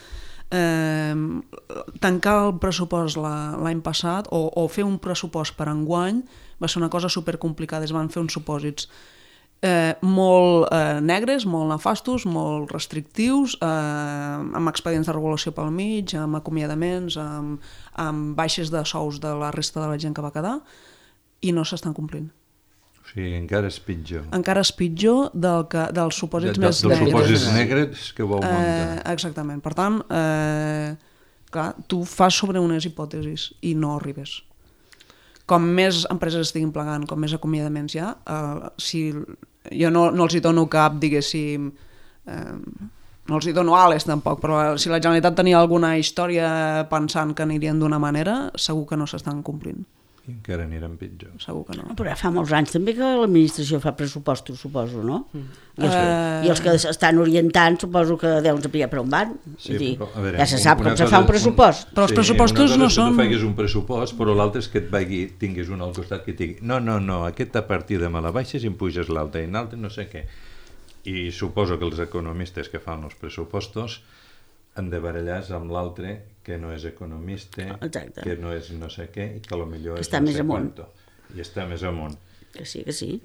Tancar el pressupost l'any passat o fer un pressupost per enguany va ser una cosa supercomplicada, es van fer uns supòsits. molt negres, molt nefastos, molt restrictius, amb expedients de regulació pel mig, amb acomiadaments, amb baixes de sous de la resta de la gent que va quedar, i no s'estan complint. O sigui, encara és pitjor. Encara és pitjor dels supòsits més Dels negres. supòsits negres que vau muntar. Exactament. Per tant, clar, tu fas sobre unes hipòtesis i no arribes. Com més empreses estiguin plegant, com més acomiadaments hi ha, si jo no els hi dono cap, diguéssim, no els hi dono ales tampoc, però si la Generalitat tenia alguna història pensant que anirien d'una manera, segur que no s'estan complint. I encara aniran pitjor. Segur que no. Però fa molts anys també que l'administració fa pressupostos, suposo, no? I els que estan orientant suposo que deuen saber per on van. Sí, però, a veure, ja se sap com se cosa fa un és pressupost. Però els pressupostos no són... Tu facis un pressupost, però l'altre és que et vagi, tinguis un al costat que et digui no, aquesta partida me la baixes i em puges l'altra, i l'altre no sé què. I suposo que els economistes que fan els pressupostos han de barallar amb l'altre que no és economista, Exacte. que no és no sé què, i que potser és està no més sé amunt. quanto. I està més amunt. Que sí, que sí.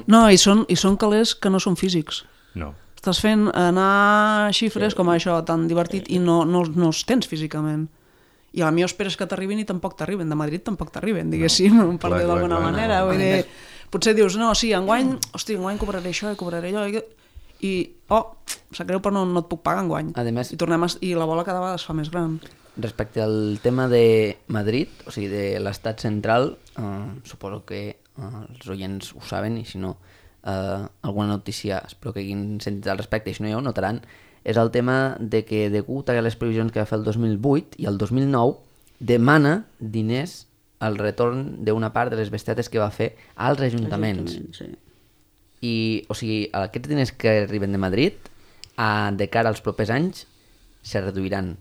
No, i són calés que no són físics. No. Estàs fent anar xifres com això tan divertit i no els tens físicament. I a la millor esperes que t'arribin i tampoc t'arriben. De Madrid tampoc t'arriben, diguéssim, per dir d'alguna manera. Vull dir, potser dius, no, sí, enguany cobraré això i cobraré allò i sap greu però no et puc pagar enguany. Además, I la bola cada vegada es fa més gran. Respecte al tema de Madrid, o sigui, de l'estat central, suposo que els oients ho saben i si no, alguna notícia espero que hagin sentit al respecte i si no ja ho notaran, és el tema de que degut a les previsions que va fer el 2008 i el 2009 demana diners al retorn d'una part de les bestietes que va fer als ajuntaments. Sí. I, o sigui, aquests diners que arriben de Madrid, de cara als propers anys, se reduiran.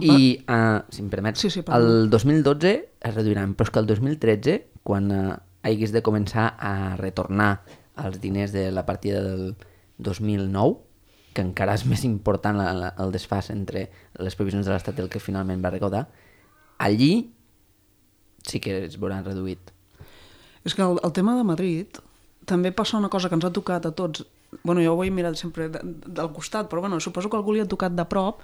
I, si em permets, el 2012 es reduiran, però és que el 2013, quan haguis de començar a retornar els diners de la partida del 2009, que encara és més important el desfàs entre les previsions de l'Estat i el que finalment va recaudar, allí sí que es veuran reduït. És que el tema de Madrid també passa una cosa que ens ha tocat a tots. Bueno, jo ho he mirat sempre del costat, però bueno, suposo que algú li ha tocat de prop.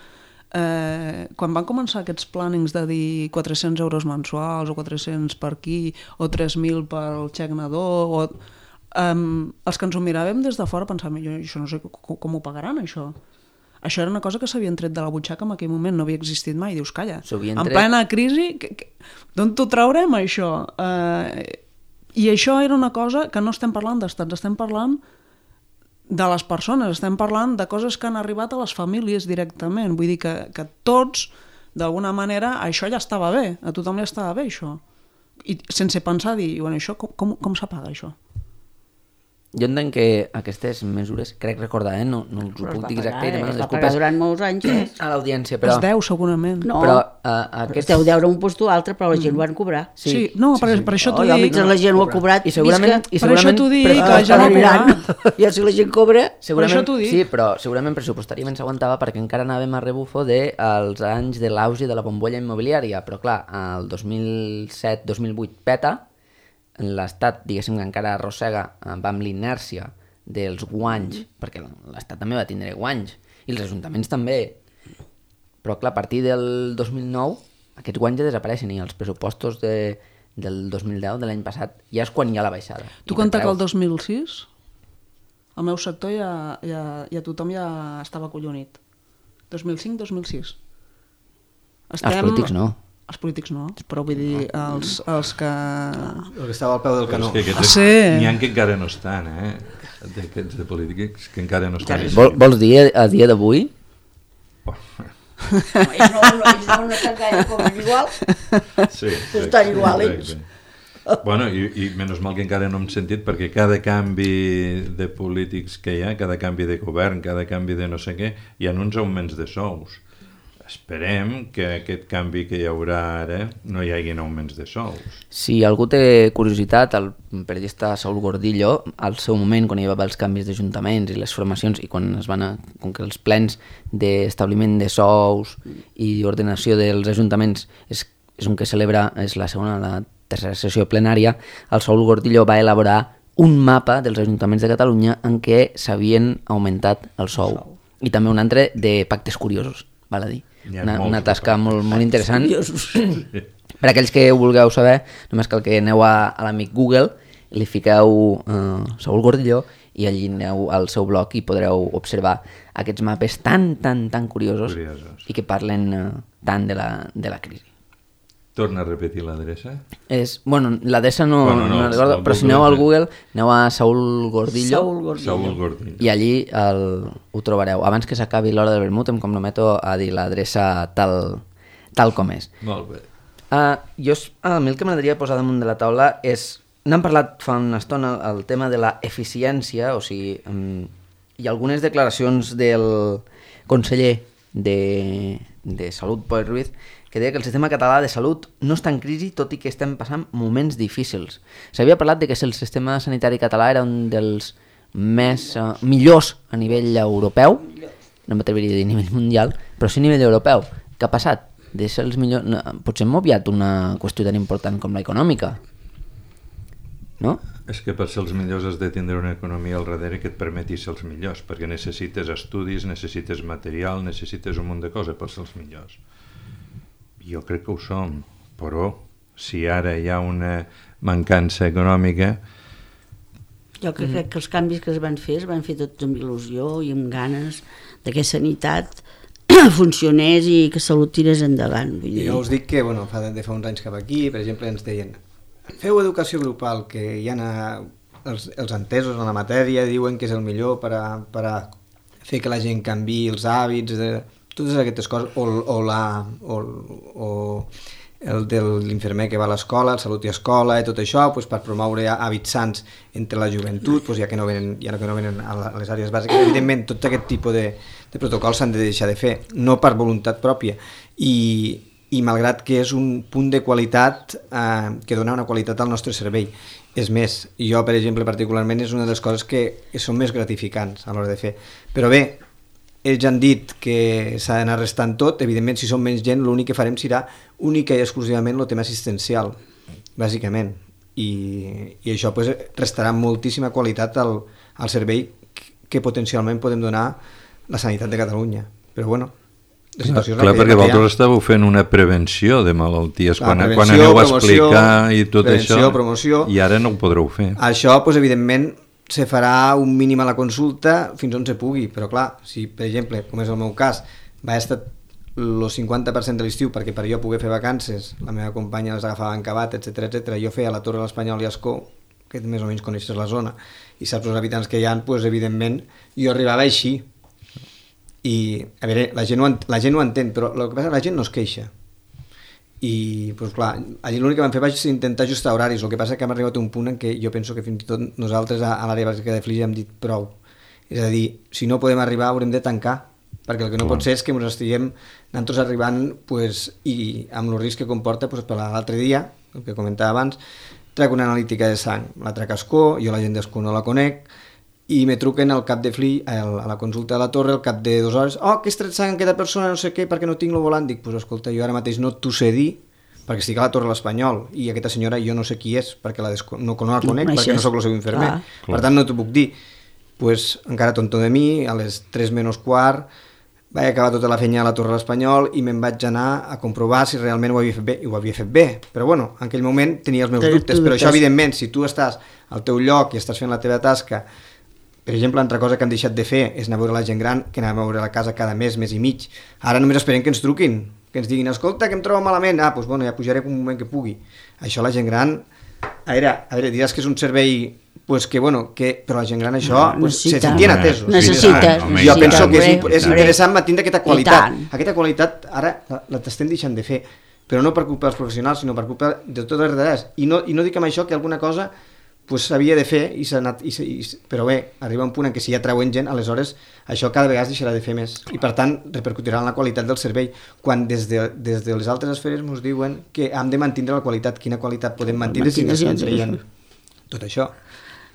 Quan van començar aquests plànings de dir 400 euros mensuals o 400 per aquí o 3.000 pel xec nadó, els que ens ho miràvem des de fora pensàvem, jo això no sé com ho pagaran, això. Això era una cosa que s'havien tret de la butxaca en aquell moment, no havia existit mai. Dius, calla, en plena crisi, d'on t'ho traurem, això? I això era una cosa que no estem parlant d'estats, estem parlant de les persones, estem parlant de coses que han arribat a les famílies directament. Vull dir que tots, d'alguna manera, això ja estava bé, a tothom ja estava bé, això. I sense pensar dir, bueno, això com s'apaga, això? Jo entenc que aquestes mesures, crec recordar, no us ho puc dir exacte, i demano es va pagar durant molts anys, a l'audiència, però... Es deu, segurament. No, però, es deu deure un puesto o altre, però la gent ho van cobrar. Sí, no, per això t'ho dic. Mentre la gent ho ha cobrat, I segurament per això t'ho dic, que ja no cobrar. Ja si la gent cobra... Per això t'ho dic. Sí, però segurament pressupostàriament s'aguantava perquè encara anàvem a rebufo dels anys de l'auge de la bombolla immobiliària, però clar, el 2007-2008 peta, l'Estat, diguéssim, que encara arrossega amb l'inèrcia dels guanys, perquè l'Estat també va tindre guanys, i els ajuntaments també. Però clar, a partir del 2009 aquests guanys ja desapareixen i els pressupostos del 2010, de l'any passat, ja és quan hi ha la baixada. Tu compta que el 2006 el meu sector ja tothom ja estava acollonit. 2005-2006. Els polítics no. Els polítics no, però vull dir, els que... El que estava al peu del canó. N'hi ha que encara no estan, d'aquests de polítics que encara no estan. Vols dir a dia d'avui? Ells no estan gaire com igual. Sí, estan igual, ells. Bueno, i menys mal que encara no hem sentit, perquè cada canvi de polítics que hi ha, cada canvi de govern, cada canvi de no sé què, hi ha uns augments de sous. Esperem que aquest canvi que hi haurà ara no hi hagi augments de sous. Si algú té curiositat, el periodista Saúl Gordillo, al seu moment, quan hi va haver els canvis d'ajuntaments i les formacions, i quan com que els plens d'establiment de sous i ordenació dels ajuntaments és un que celebra, és la segona, la tercera sessió plenària, el Saúl Gordillo va elaborar un mapa dels ajuntaments de Catalunya en què s'havien augmentat el sou. I també un altre de pactes curiosos, val a dir. Una tasca molt interessant. Per aquells que ho vulgueu saber, només cal que aneu a l'amic Google, li fiqueu Saúl Gordillo i allí aneu al seu blog i podreu observar aquests mapes tan curiosos i que parlen tant de la crisi. Torna a repetir l'adreça? L'adreça no recordo, però si aneu al Google, aneu a Saúl Gordillo. Saúl Gordillo. I allí ho trobareu. Abans que s'acabi l'hora del vermut em comprometo a dir l'adreça tal com és. Molt bé. A mi el que m'agradaria posar damunt de la taula és... N'hem parlat fa una estona el tema de la eficiència, o sigui, hi ha algunes declaracions del conseller de Salut, Pol Ruiz, que deia que el sistema català de salut no està en crisi, tot i que estem passant moments difícils. S'havia parlat de que el sistema sanitari català era un dels millors a nivell europeu, no m'atreviria a dir a nivell mundial, però sí a nivell europeu. Què ha passat? De ser els millors... Potser hem obviat una qüestió tan important com la econòmica, no? És que per ser els millors has de tindre una economia al darrere que et permeti ser els millors, perquè necessites estudis, necessites material, necessites un munt de coses per ser els millors. Jo crec que ho som, però si ara hi ha una mancança econòmica... Jo crec que els canvis que es van fer tots amb il·lusió i amb ganes de que sanitat funcionés i que salut tirés endavant. Jo us dic que de fa uns anys cap aquí, per exemple, ens deien feu educació grupal, que hi ha els entesos en la matèria diuen que és el millor per a fer que la gent canviï els hàbits, totes aquestes coses, o el de l'infermer que va a l'escola, el Salut i Escola i tot això, per promoure hàbits sants entre la joventut, ja que no venen a les àrees bàsiques. Evidentment, tot aquest tipus de protocols s'han de deixar de fer, no per voluntat pròpia, i malgrat que és un punt de qualitat que dona una qualitat al nostre servei. És més, jo, per exemple, particularment, és una de les coses que són més gratificants a l'hora de fer. Però bé, ells han dit que s'ha d'anar restant tot, evidentment, si som menys gent, l'únic que farem serà única i exclusivament el tema assistencial, bàsicament. I això restarà moltíssima qualitat al servei que potencialment podem donar la sanitat de Catalunya. Però bueno, clar, perquè vosaltres estàveu fent una prevenció de malalties quan aneu a explicar i tot això, promoció, i ara no ho podreu fer. Això, evidentment, se farà un mínim a la consulta fins on se pugui, però clar, si per exemple, com és el meu cas, va estar el 50% de l'estiu perquè per jo poder fer vacances, la meva companya les agafava en Cabat, etc. Jo feia la Torre de l'Espanyol i Ascó, que més o menys coneixes la zona, i saps els habitants que hi ha, evidentment, jo arribava així. I, a veure, la gent ho entén, però el que passa és que la gent no es queixa. I, clar, allí l'únic que vam fer va ser intentar ajustar horaris. El que passa és que hem arribat a un punt en què jo penso que fins i tot nosaltres a l'àrea bàsica de Flix hem dit prou. És a dir, si no podem arribar haurem de tancar, perquè el que no pot ser és que ens estiguem nosaltres arribant i amb el risc que comporta per l'altre dia, el que comentava abans, trec una analítica de sang, la trec a Ascó, jo la gent d'Ascó no la conec, i me truquen al cap de Flix, a la consulta de la Torre, al cap de 2 hores, que has tret sang a aquesta persona, no sé què, perquè no tinc el volant. Dic, escolta, jo ara mateix no t'ho sé dir, perquè estic a la Torre de l'Espanyol, i aquesta senyora jo no sé qui és, perquè no la conec, perquè no sóc el seu infermer. Per tant, no t'ho puc dir. Encara tonto de mi, a les 3 menys quart, vaig acabar tota la feina a la Torre de l'Espanyol i me'n vaig anar a comprovar si realment ho havia fet bé, i ho havia fet bé. Però bueno, en aquell moment tenia els meus dubtes, però això, evidentment, si tu estàs al teu lloc i estàs fent la teva tasca. Per exemple, altra cosa que han deixat de fer és anar a veure la gent gran, que anàvem a veure la casa cada mes i mig. Ara només esperem que ens truquin, que ens diguin, escolta, que em trobo malament, ja pujaré un moment que pugui. Això la gent gran, a veure, diràs que és un servei, però la gent gran això, se sentien atesos. Necessites. Jo penso que és interessant mantenir aquesta qualitat. Aquesta qualitat ara la t'estem deixant de fer, però no per culpa dels professionals, sinó per culpa de totes les darreres. I no dic amb això que alguna cosa s'havia de fer, però bé, arriba un punt en què si ja treuen gent, aleshores això cada vegada es deixarà de fer més i per tant repercutirà en la qualitat del servei, quan des de les altres esferes ens diuen que hem de mantenir la qualitat. Quina qualitat podem mantenir si no estem traient tot això?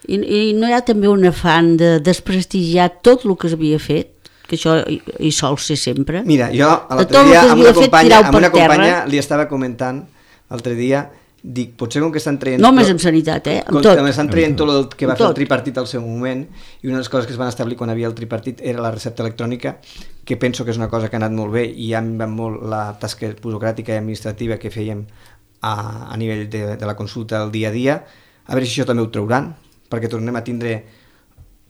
I no hi ha també un afany de desprestigiar tot el que s'havia fet, que això hi sol ser sempre? Mira, jo l'altre dia amb una companya li estava comentant l'altre dia dic, potser com que estan traient... No només amb sanitat, amb tot. Com estan traient tot el que va fer el tot. tripartit al seu moment, i una de les coses que es van establir quan havia el tripartit era la recepta electrònica, que penso que és una cosa que ha anat molt bé, i ha minvat molt la tasca burocràtica i administrativa que fèiem a nivell de la consulta del dia a dia. A veure si això també ho trauran, perquè tornem a tindre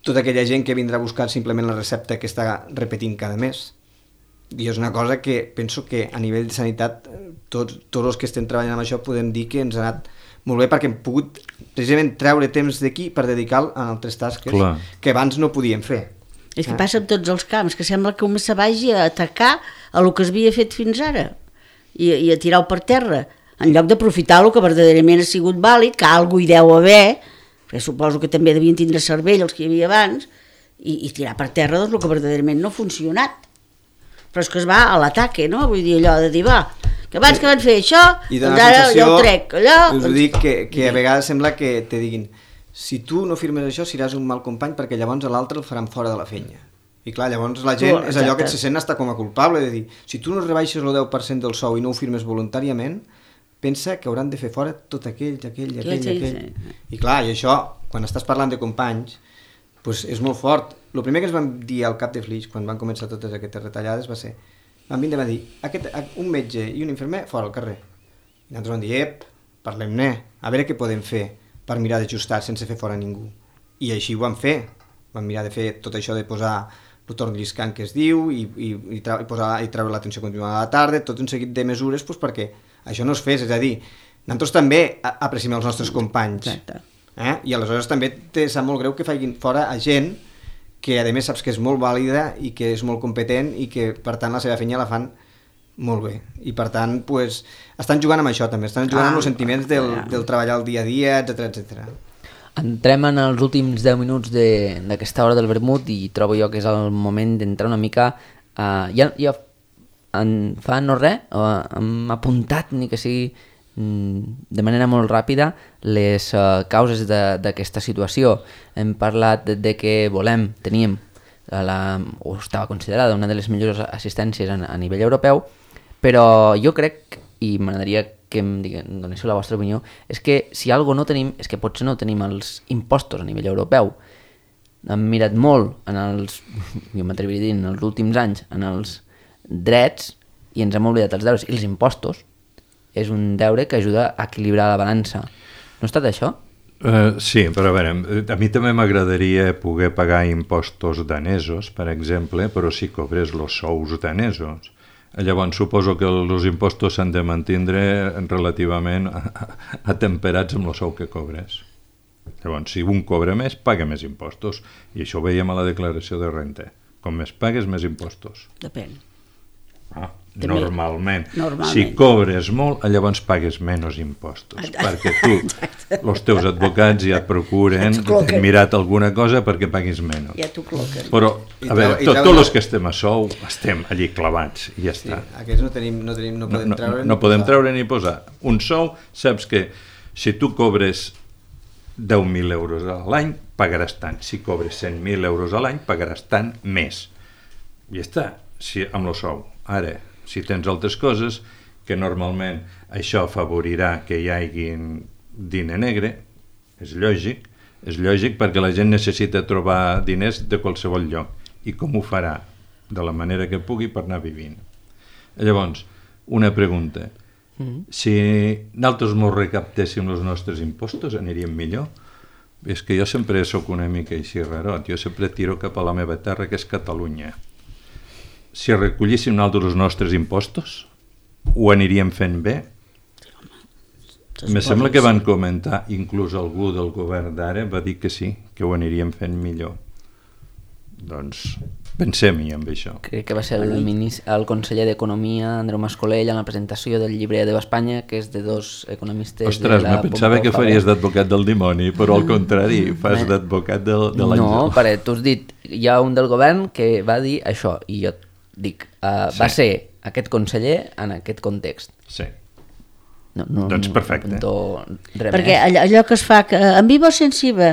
tota aquella gent que vindrà a buscar simplement la recepta que està repetint cada mes. I és una cosa que penso que a nivell de sanitat tots els que estem treballant amb això podem dir que ens ha anat molt bé, perquè hem pogut precisament treure temps d'aquí per dedicar-lo a altres tasques que abans no podíem fer. És que passa amb tots els camps, que sembla que un se vagi a atacar a lo que es havia fet fins ara i a tirar-ho per terra, en lloc d'aprofitar el que verdaderament ha sigut vàlid, que algú hi deu haver, perquè suposo que també devien tindre cervell els que hi havia abans, i tirar per terra doncs, el que verdaderament no ha funcionat. Però és que es va a l'ataque, no? Vull dir, allò de dir, va, que abans que van fer això, doncs ara jo ho trec, allò... Us ho dic que a vegades sembla que te diguin, si tu no firmes això seràs un mal company, perquè llavors a l'altre el faran fora de la feina. I clar, llavors la gent és allò que se sent hasta com a culpable, de dir, si tu no rebaixes el 10% del sou i no ho firmes voluntàriament, pensa que hauran de fer fora tot aquell. I clar, i això, quan estàs parlant de companys, doncs és molt fort. El primer que ens van dir al cap de Flix, quan van començar totes aquestes retallades, va ser, van vindre a dir, un metge i un infermer fora al carrer. I nosaltres vam dir, parlem-ne, a veure què podem fer per mirar d'ajustar sense fer fora ningú. I així ho vam fer. Vam mirar de fer tot això de posar el torn lliscant que es diu i treure l'atenció continuada a la tarda, tot un seguit de mesures doncs, perquè això no es fes. És a dir, nosaltres també apreciem els nostres companys. Exacte. I aleshores també te sap molt greu que facin fora a gent que a més saps que és molt vàlida i que és molt competent i que per tant la seva feina la fan molt bé. I per tant pues, estan jugant amb això també, estan jugant amb els sentiments del treballar el dia a dia, etc. Entrem en els últims 10 minuts d'aquesta hora del vermut i trobo jo que és el moment d'entrar una mica... Ja fa no res, hem apuntat ni que sigui de manera molt ràpida les causes d'aquesta situació. Hem parlat de que teníem o estava considerada una de les millors assistències a nivell europeu, però jo crec, i m'agradaria que em donéssiu la vostra opinió, és que si alguna cosa no tenim és que potser no tenim els impostos a nivell europeu. Hem mirat molt jo m'atreviria a dir, en els últims anys en els drets i ens hem oblidat els deures i els impostos. És un deure que ajuda a equilibrar la balança. No ha estat això? Sí, però a veure, a mi també m'agradaria poder pagar impostos danesos, per exemple, però si cobrés els sous danesos. Llavors suposo que els impostos s'han de mantindre relativament atemperats amb el sou que cobres. Llavors, si un cobra més, paga més impostos. I això ho veiem a la declaració de renta. Com més pagues, més impostos. Depèn. Normalment. Si cobres molt, llavors pagues menys impostos, perquè els teus advocats ja et procuren mirar alguna cosa perquè paguis menys. Ja t'ho col·loquen. Però, a veure, tots els que estem a sou estem allí clavats i ja està. Aquests no podem treure ni posar. Un sou, saps que si tu cobres 10.000 euros a l'any, pagaràs tant. Si cobres 100.000 euros a l'any, pagaràs tant més. I ja està, amb el sou. Ara, si tens altres coses, que normalment això afavorirà que hi hagi diner negre, és lògic perquè la gent necessita trobar diners de qualsevol lloc. I com ho farà? De la manera que pugui per anar vivint. Llavors, una pregunta. Si nosaltres ens recaptéssim els nostres impostos, aniríem millor? És que jo sempre sóc una mica així rarot. Jo sempre tiro cap a la meva terra, que és Catalunya. Si recollíssim nosaltres els nostres impostos, ho aniríem fent bé? Me sembla que van comentar, inclús algú del govern d'ara va dir que sí, que ho aniríem fent millor. Doncs pensem-hi amb això. Crec que va ser el conseller d'Economia, Andreu Mas-Colell, en la presentació del llibre Adeu Espanya, que és de dos economistes... Ostres, me pensava que faries d'advocat del dimoni, però al contrari, fas d'advocat de l'àngel. No, perquè tu has dit, hi ha un del govern que va dir això, i jo dic, va ser aquest conseller en aquest context. Sí. Doncs perfecte. Perquè allò que es fa, en viva o sense IVA?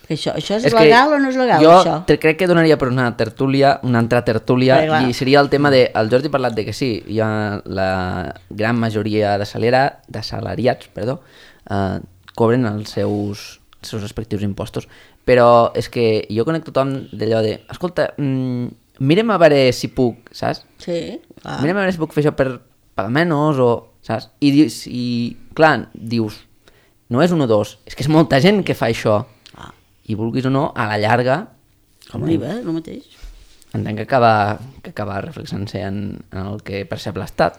Això és legal o no és legal, jo això? Jo crec que donaria per una altra tertúlia, i seria el tema de... El Jordi ha parlat de que sí, hi ha la gran majoria d'assalariats, cobren els seus respectius impostos, però és que jo conec tothom d'allò de... Escolta, mira'm a veure si puc, saps? Sí, clar. Mira'm a veure si puc fer això per pagar menys, o... Saps? I clar, dius, no és un o dos, és que és molta gent que fa això. I vulguis o no, a la llarga... Com l'IVA, el mateix. Entenc que acaba reflexant-se en el que percep l'Estat.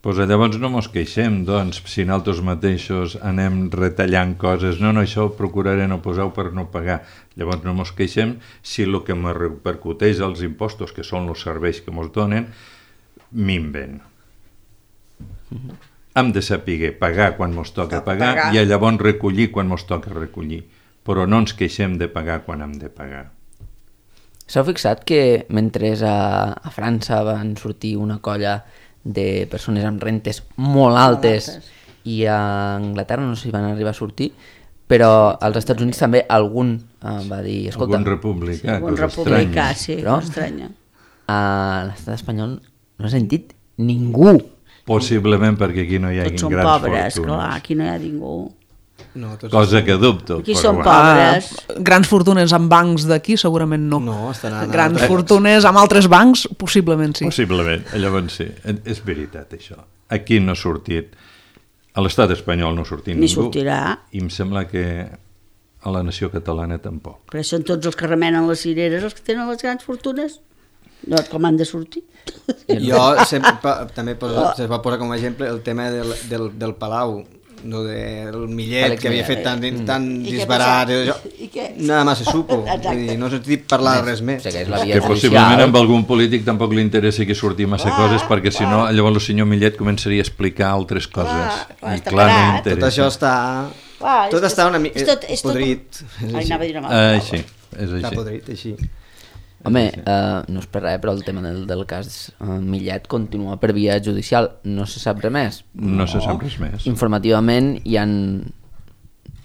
Pues llavors no mos queixem, doncs, si nosaltres mateixos anem retallant coses. No, això ho procuraré no posar-ho per no pagar. Llavors no mos queixem si el que me repercuteix als impostos, que són els serveis que mos donen, minven. Hem de saber pagar quan mos toca pagar i llavors recollir quan mos toca recollir, però no ens queixem de pagar quan hem de pagar. S'heu fixat que mentre a França van sortir una colla de persones amb rentes molt altes i a Anglaterra no sé si van arribar a sortir, però als Estats Units també algun va dir... Escolta, algun republicà, algun republicà, sí, però estranya. A l'estat espanyol no ha sentit ningú. Possiblement perquè aquí no hi ha grans fortunes. Tots són pobres, clar, aquí no hi ha ningú. No, cosa que dubto. Aquí són pobres. Grans fortunes amb bancs d'aquí segurament no. No, estan anant. Grans fortunes amb altres bancs possiblement sí. Possiblement, llavors sí. És veritat això. Aquí no ha sortit, a l'estat espanyol no ha sortit ningú. Ni sortirà. I em sembla que a la nació catalana tampoc. Però són tots els que remenen les cireres els que tenen les grans fortunes. No, com han de sortir? Jo també se va posar com a exemple el tema del Palau, no, del Millet, que havia fet tan disbarat, nada más se supo, no s'ha dit parlar res més. Que possiblement amb algun polític tampoc li interessa que surti massa coses, perquè si no llavors el senyor Millet començaria a explicar altres coses, i clar, no interessa. Tot això està... Tot està una mica podrit. Així, és així. Està podrit, així. Home, no és per res, però el tema del cas Millet continua per via judicial. No se sap res més. No se sap res més. Informativament hi ha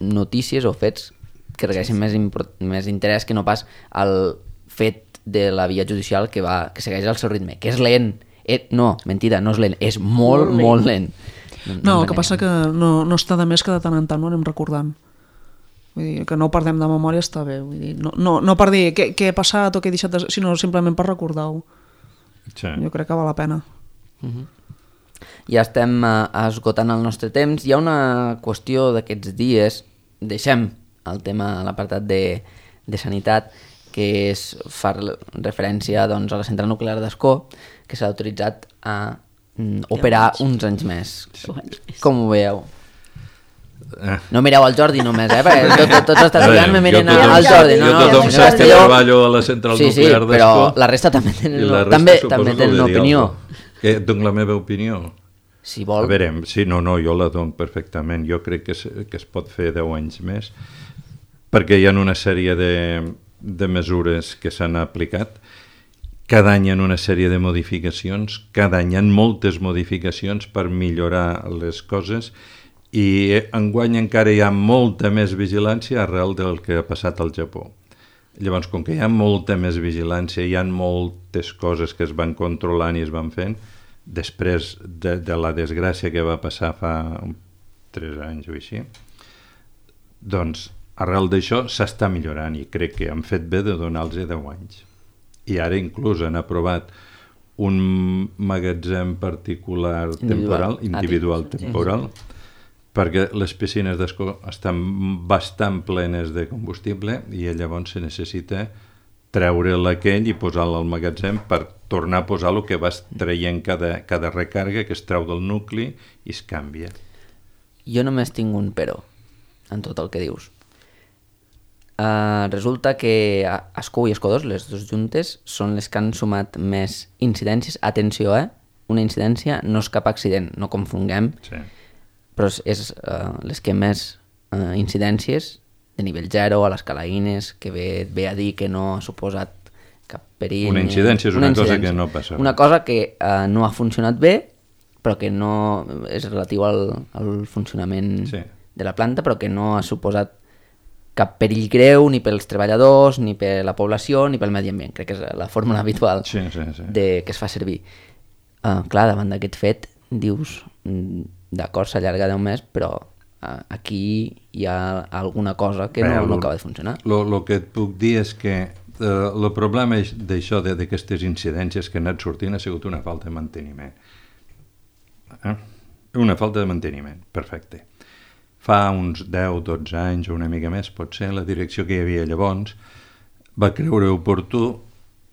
notícies o fets que requereixen més interès que no pas el fet de la via judicial que segueix el seu ritme, que és lent. No, mentida, no és lent, és molt lent. No, el que passa que no està de més que de tant en tant ho anem recordant. Vull dir, que no perdem de memòria està bé. Vull dir, no per dir què ha passat o què he deixat de... sinó simplement per recordar-ho. Sí. Jo crec que val la pena. Ja estem esgotant el nostre temps. Hi ha una qüestió d'aquests dies, deixem el tema a l'apartat de sanitat, que fa referència doncs, a la central nuclear d'Ascó, que s'ha autoritzat a operar uns anys més. Com ho veieu? No mireu al Jordi només, perquè tots els estudiants me miren al Jordi. Jo tothom sap que treballo a la central nuclear d'Ascó. Però la resta també tenen una opinió. Dono la meva opinió. Si vol. A veure, sí, no, jo la dono perfectament. Jo crec que es pot fer 10 anys més, perquè hi ha una sèrie de mesures que s'han aplicat. Cada any hi ha una sèrie de modificacions, cada any hi ha moltes modificacions per millorar les coses, i enguany encara hi ha molta més vigilància arrel del que ha passat al Japó. Llavors, com que hi ha molta més vigilància, hi ha moltes coses que es van controlant i es van fent, després de la desgràcia que va passar fa 3 anys o així, doncs arrel d'això s'està millorant i crec que han fet bé de donar-los 10 anys. I ara inclús han aprovat un magatzem particular individual temporal, perquè les piscines d'Ascó estan bastant plenes de combustible i llavors se necessita treure aquell i posar-lo al magatzem per tornar a posar el que vas traient cada recàrrega, que es treu del nucli i es canvia. Jo només tinc un però en tot el que dius. Resulta que Ascó i Ascó 2, les dues juntes, són les que han sumat més incidències. Atenció, una incidència no és cap accident, no confonguem. Sí. Però és les que més incidències de nivell 0 a les calaïnes, que ve a dir que no ha suposat cap perill. Una incidència és una cosa que no passa. Una cosa que no ha funcionat bé, però que no és relatiu al funcionament de la planta, però que no ha suposat cap perill greu ni pels treballadors, ni per la població, ni pel medi ambient. Crec que és la fórmula habitual Sí. que es fa servir. Clar, davant d'aquest fet, dius, d'acord, s'allarga 10 mesos, però aquí hi ha alguna cosa que no acaba de funcionar. El que et puc dir és que el problema d'això, d'aquestes incidències que han anat sortint, ha sigut una falta de manteniment. Una falta de manteniment, perfecte. Fa uns 10-12 anys o una mica més, potser, la direcció que hi havia llavors va creure oportú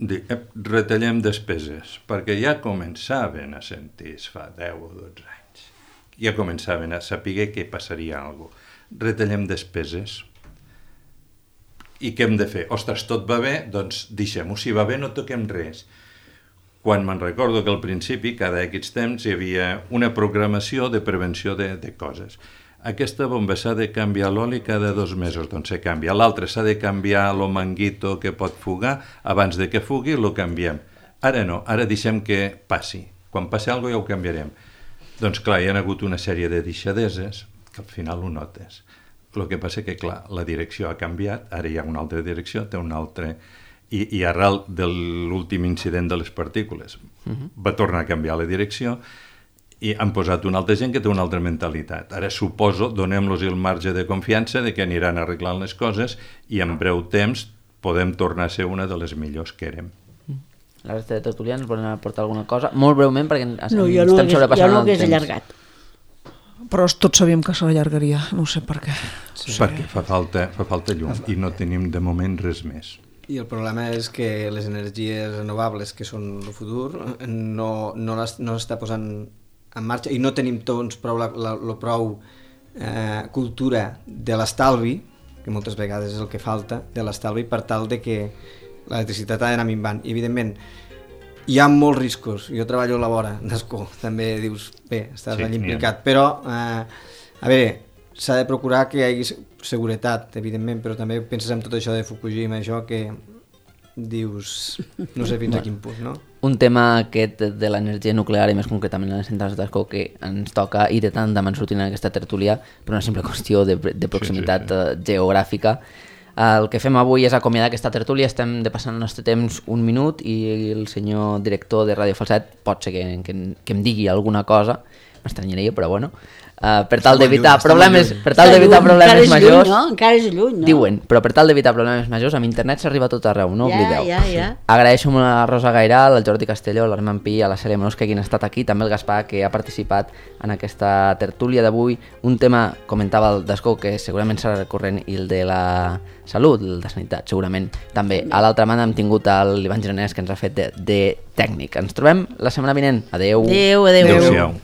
dir, retallem despeses, perquè ja començaven a sentir, fa 10 o 12 anys, ja començaven a saber que passaria alguna cosa. Retallem despeses. I què hem de fer? Ostres, tot va bé? Doncs deixem-ho. Si va bé, no toquem res. Quan me'n recordo que al principi, cada X temps, hi havia una programació de prevenció de coses. Aquesta bomba s'ha de canviar l'oli cada 2 mesos, doncs se canvia. L'altre s'ha de canviar el manguito que pot fugar, abans de que fugui lo canviem. Ara no, ara deixem que passi. Quan passi alguna cosa ja ho canviarem. Doncs clar, hi ha hagut una sèrie de deixadeses que al final ho notes. El que passa que, clar, la direcció ha canviat, ara hi ha una altra direcció, té una altra... I arrel de l'últim incident de les partícules va tornar a canviar la direcció i han posat una altra gent que té una altra mentalitat. Ara suposo, donem-los el marge de confiança de que aniran arreglant les coses i en breu temps podem tornar a ser una de les millors que érem. La resta de tertulians volen aportar alguna cosa? Molt breument, perquè No, jo no hagués allargat. Però tots sabíem que se l'allargaria, no sé per què. Sí. Perquè fa falta llum i no tenim de moment res més. I el problema és que les energies renovables, que són el futur, no l'està posant en marxa i no tenim tots prou cultura de l'estalvi, que moltes vegades és el que falta, de l'estalvi per tal de que l'electricitat ha d'anar minvant. I, evidentment, hi ha molts riscos. Jo treballo a la vora d'Ascó, també dius, bé, estàs allà implicat, però, a veure, s'ha de procurar que hi hagi seguretat, evidentment, però també penses en tot això de Fukushima, això que dius, no sé fins a quin punt, no? Un tema aquest de l'energia nuclear i més concretament les centrals d'Ascó que ens toca i de tant de man sortint en aquesta tertúlia per una simple qüestió de proximitat geogràfica. El que fem avui és acomiadar aquesta tertúlia, estem depassant el nostre temps 1 minut i el senyor director de Ràdio Falset pot ser que em digui alguna cosa, m'estranyaria, però bueno, per tal d'evitar problemes majors, encara és lluny, no? Diuen, però per tal d'evitar problemes majors amb internet s'arriba a tot arreu, no oblideu. Ja. Agraeixo molt a la Rosa Gairal, al Jordi Castelló, a l'Armand Pi, a la Cèlia Menós que hagin estat aquí, també el Gaspar que ha participat en aquesta tertúlia d'avui, un tema, comentava el d'Ascó, que segurament serà recurrent, i el de la salut, el de sanitat, segurament també. A l'altra banda hem tingut l'Ivan Gironès que ens ha fet de tècnic. Ens trobem la setmana vinent. Adeu. Adeu. Adéu-siau.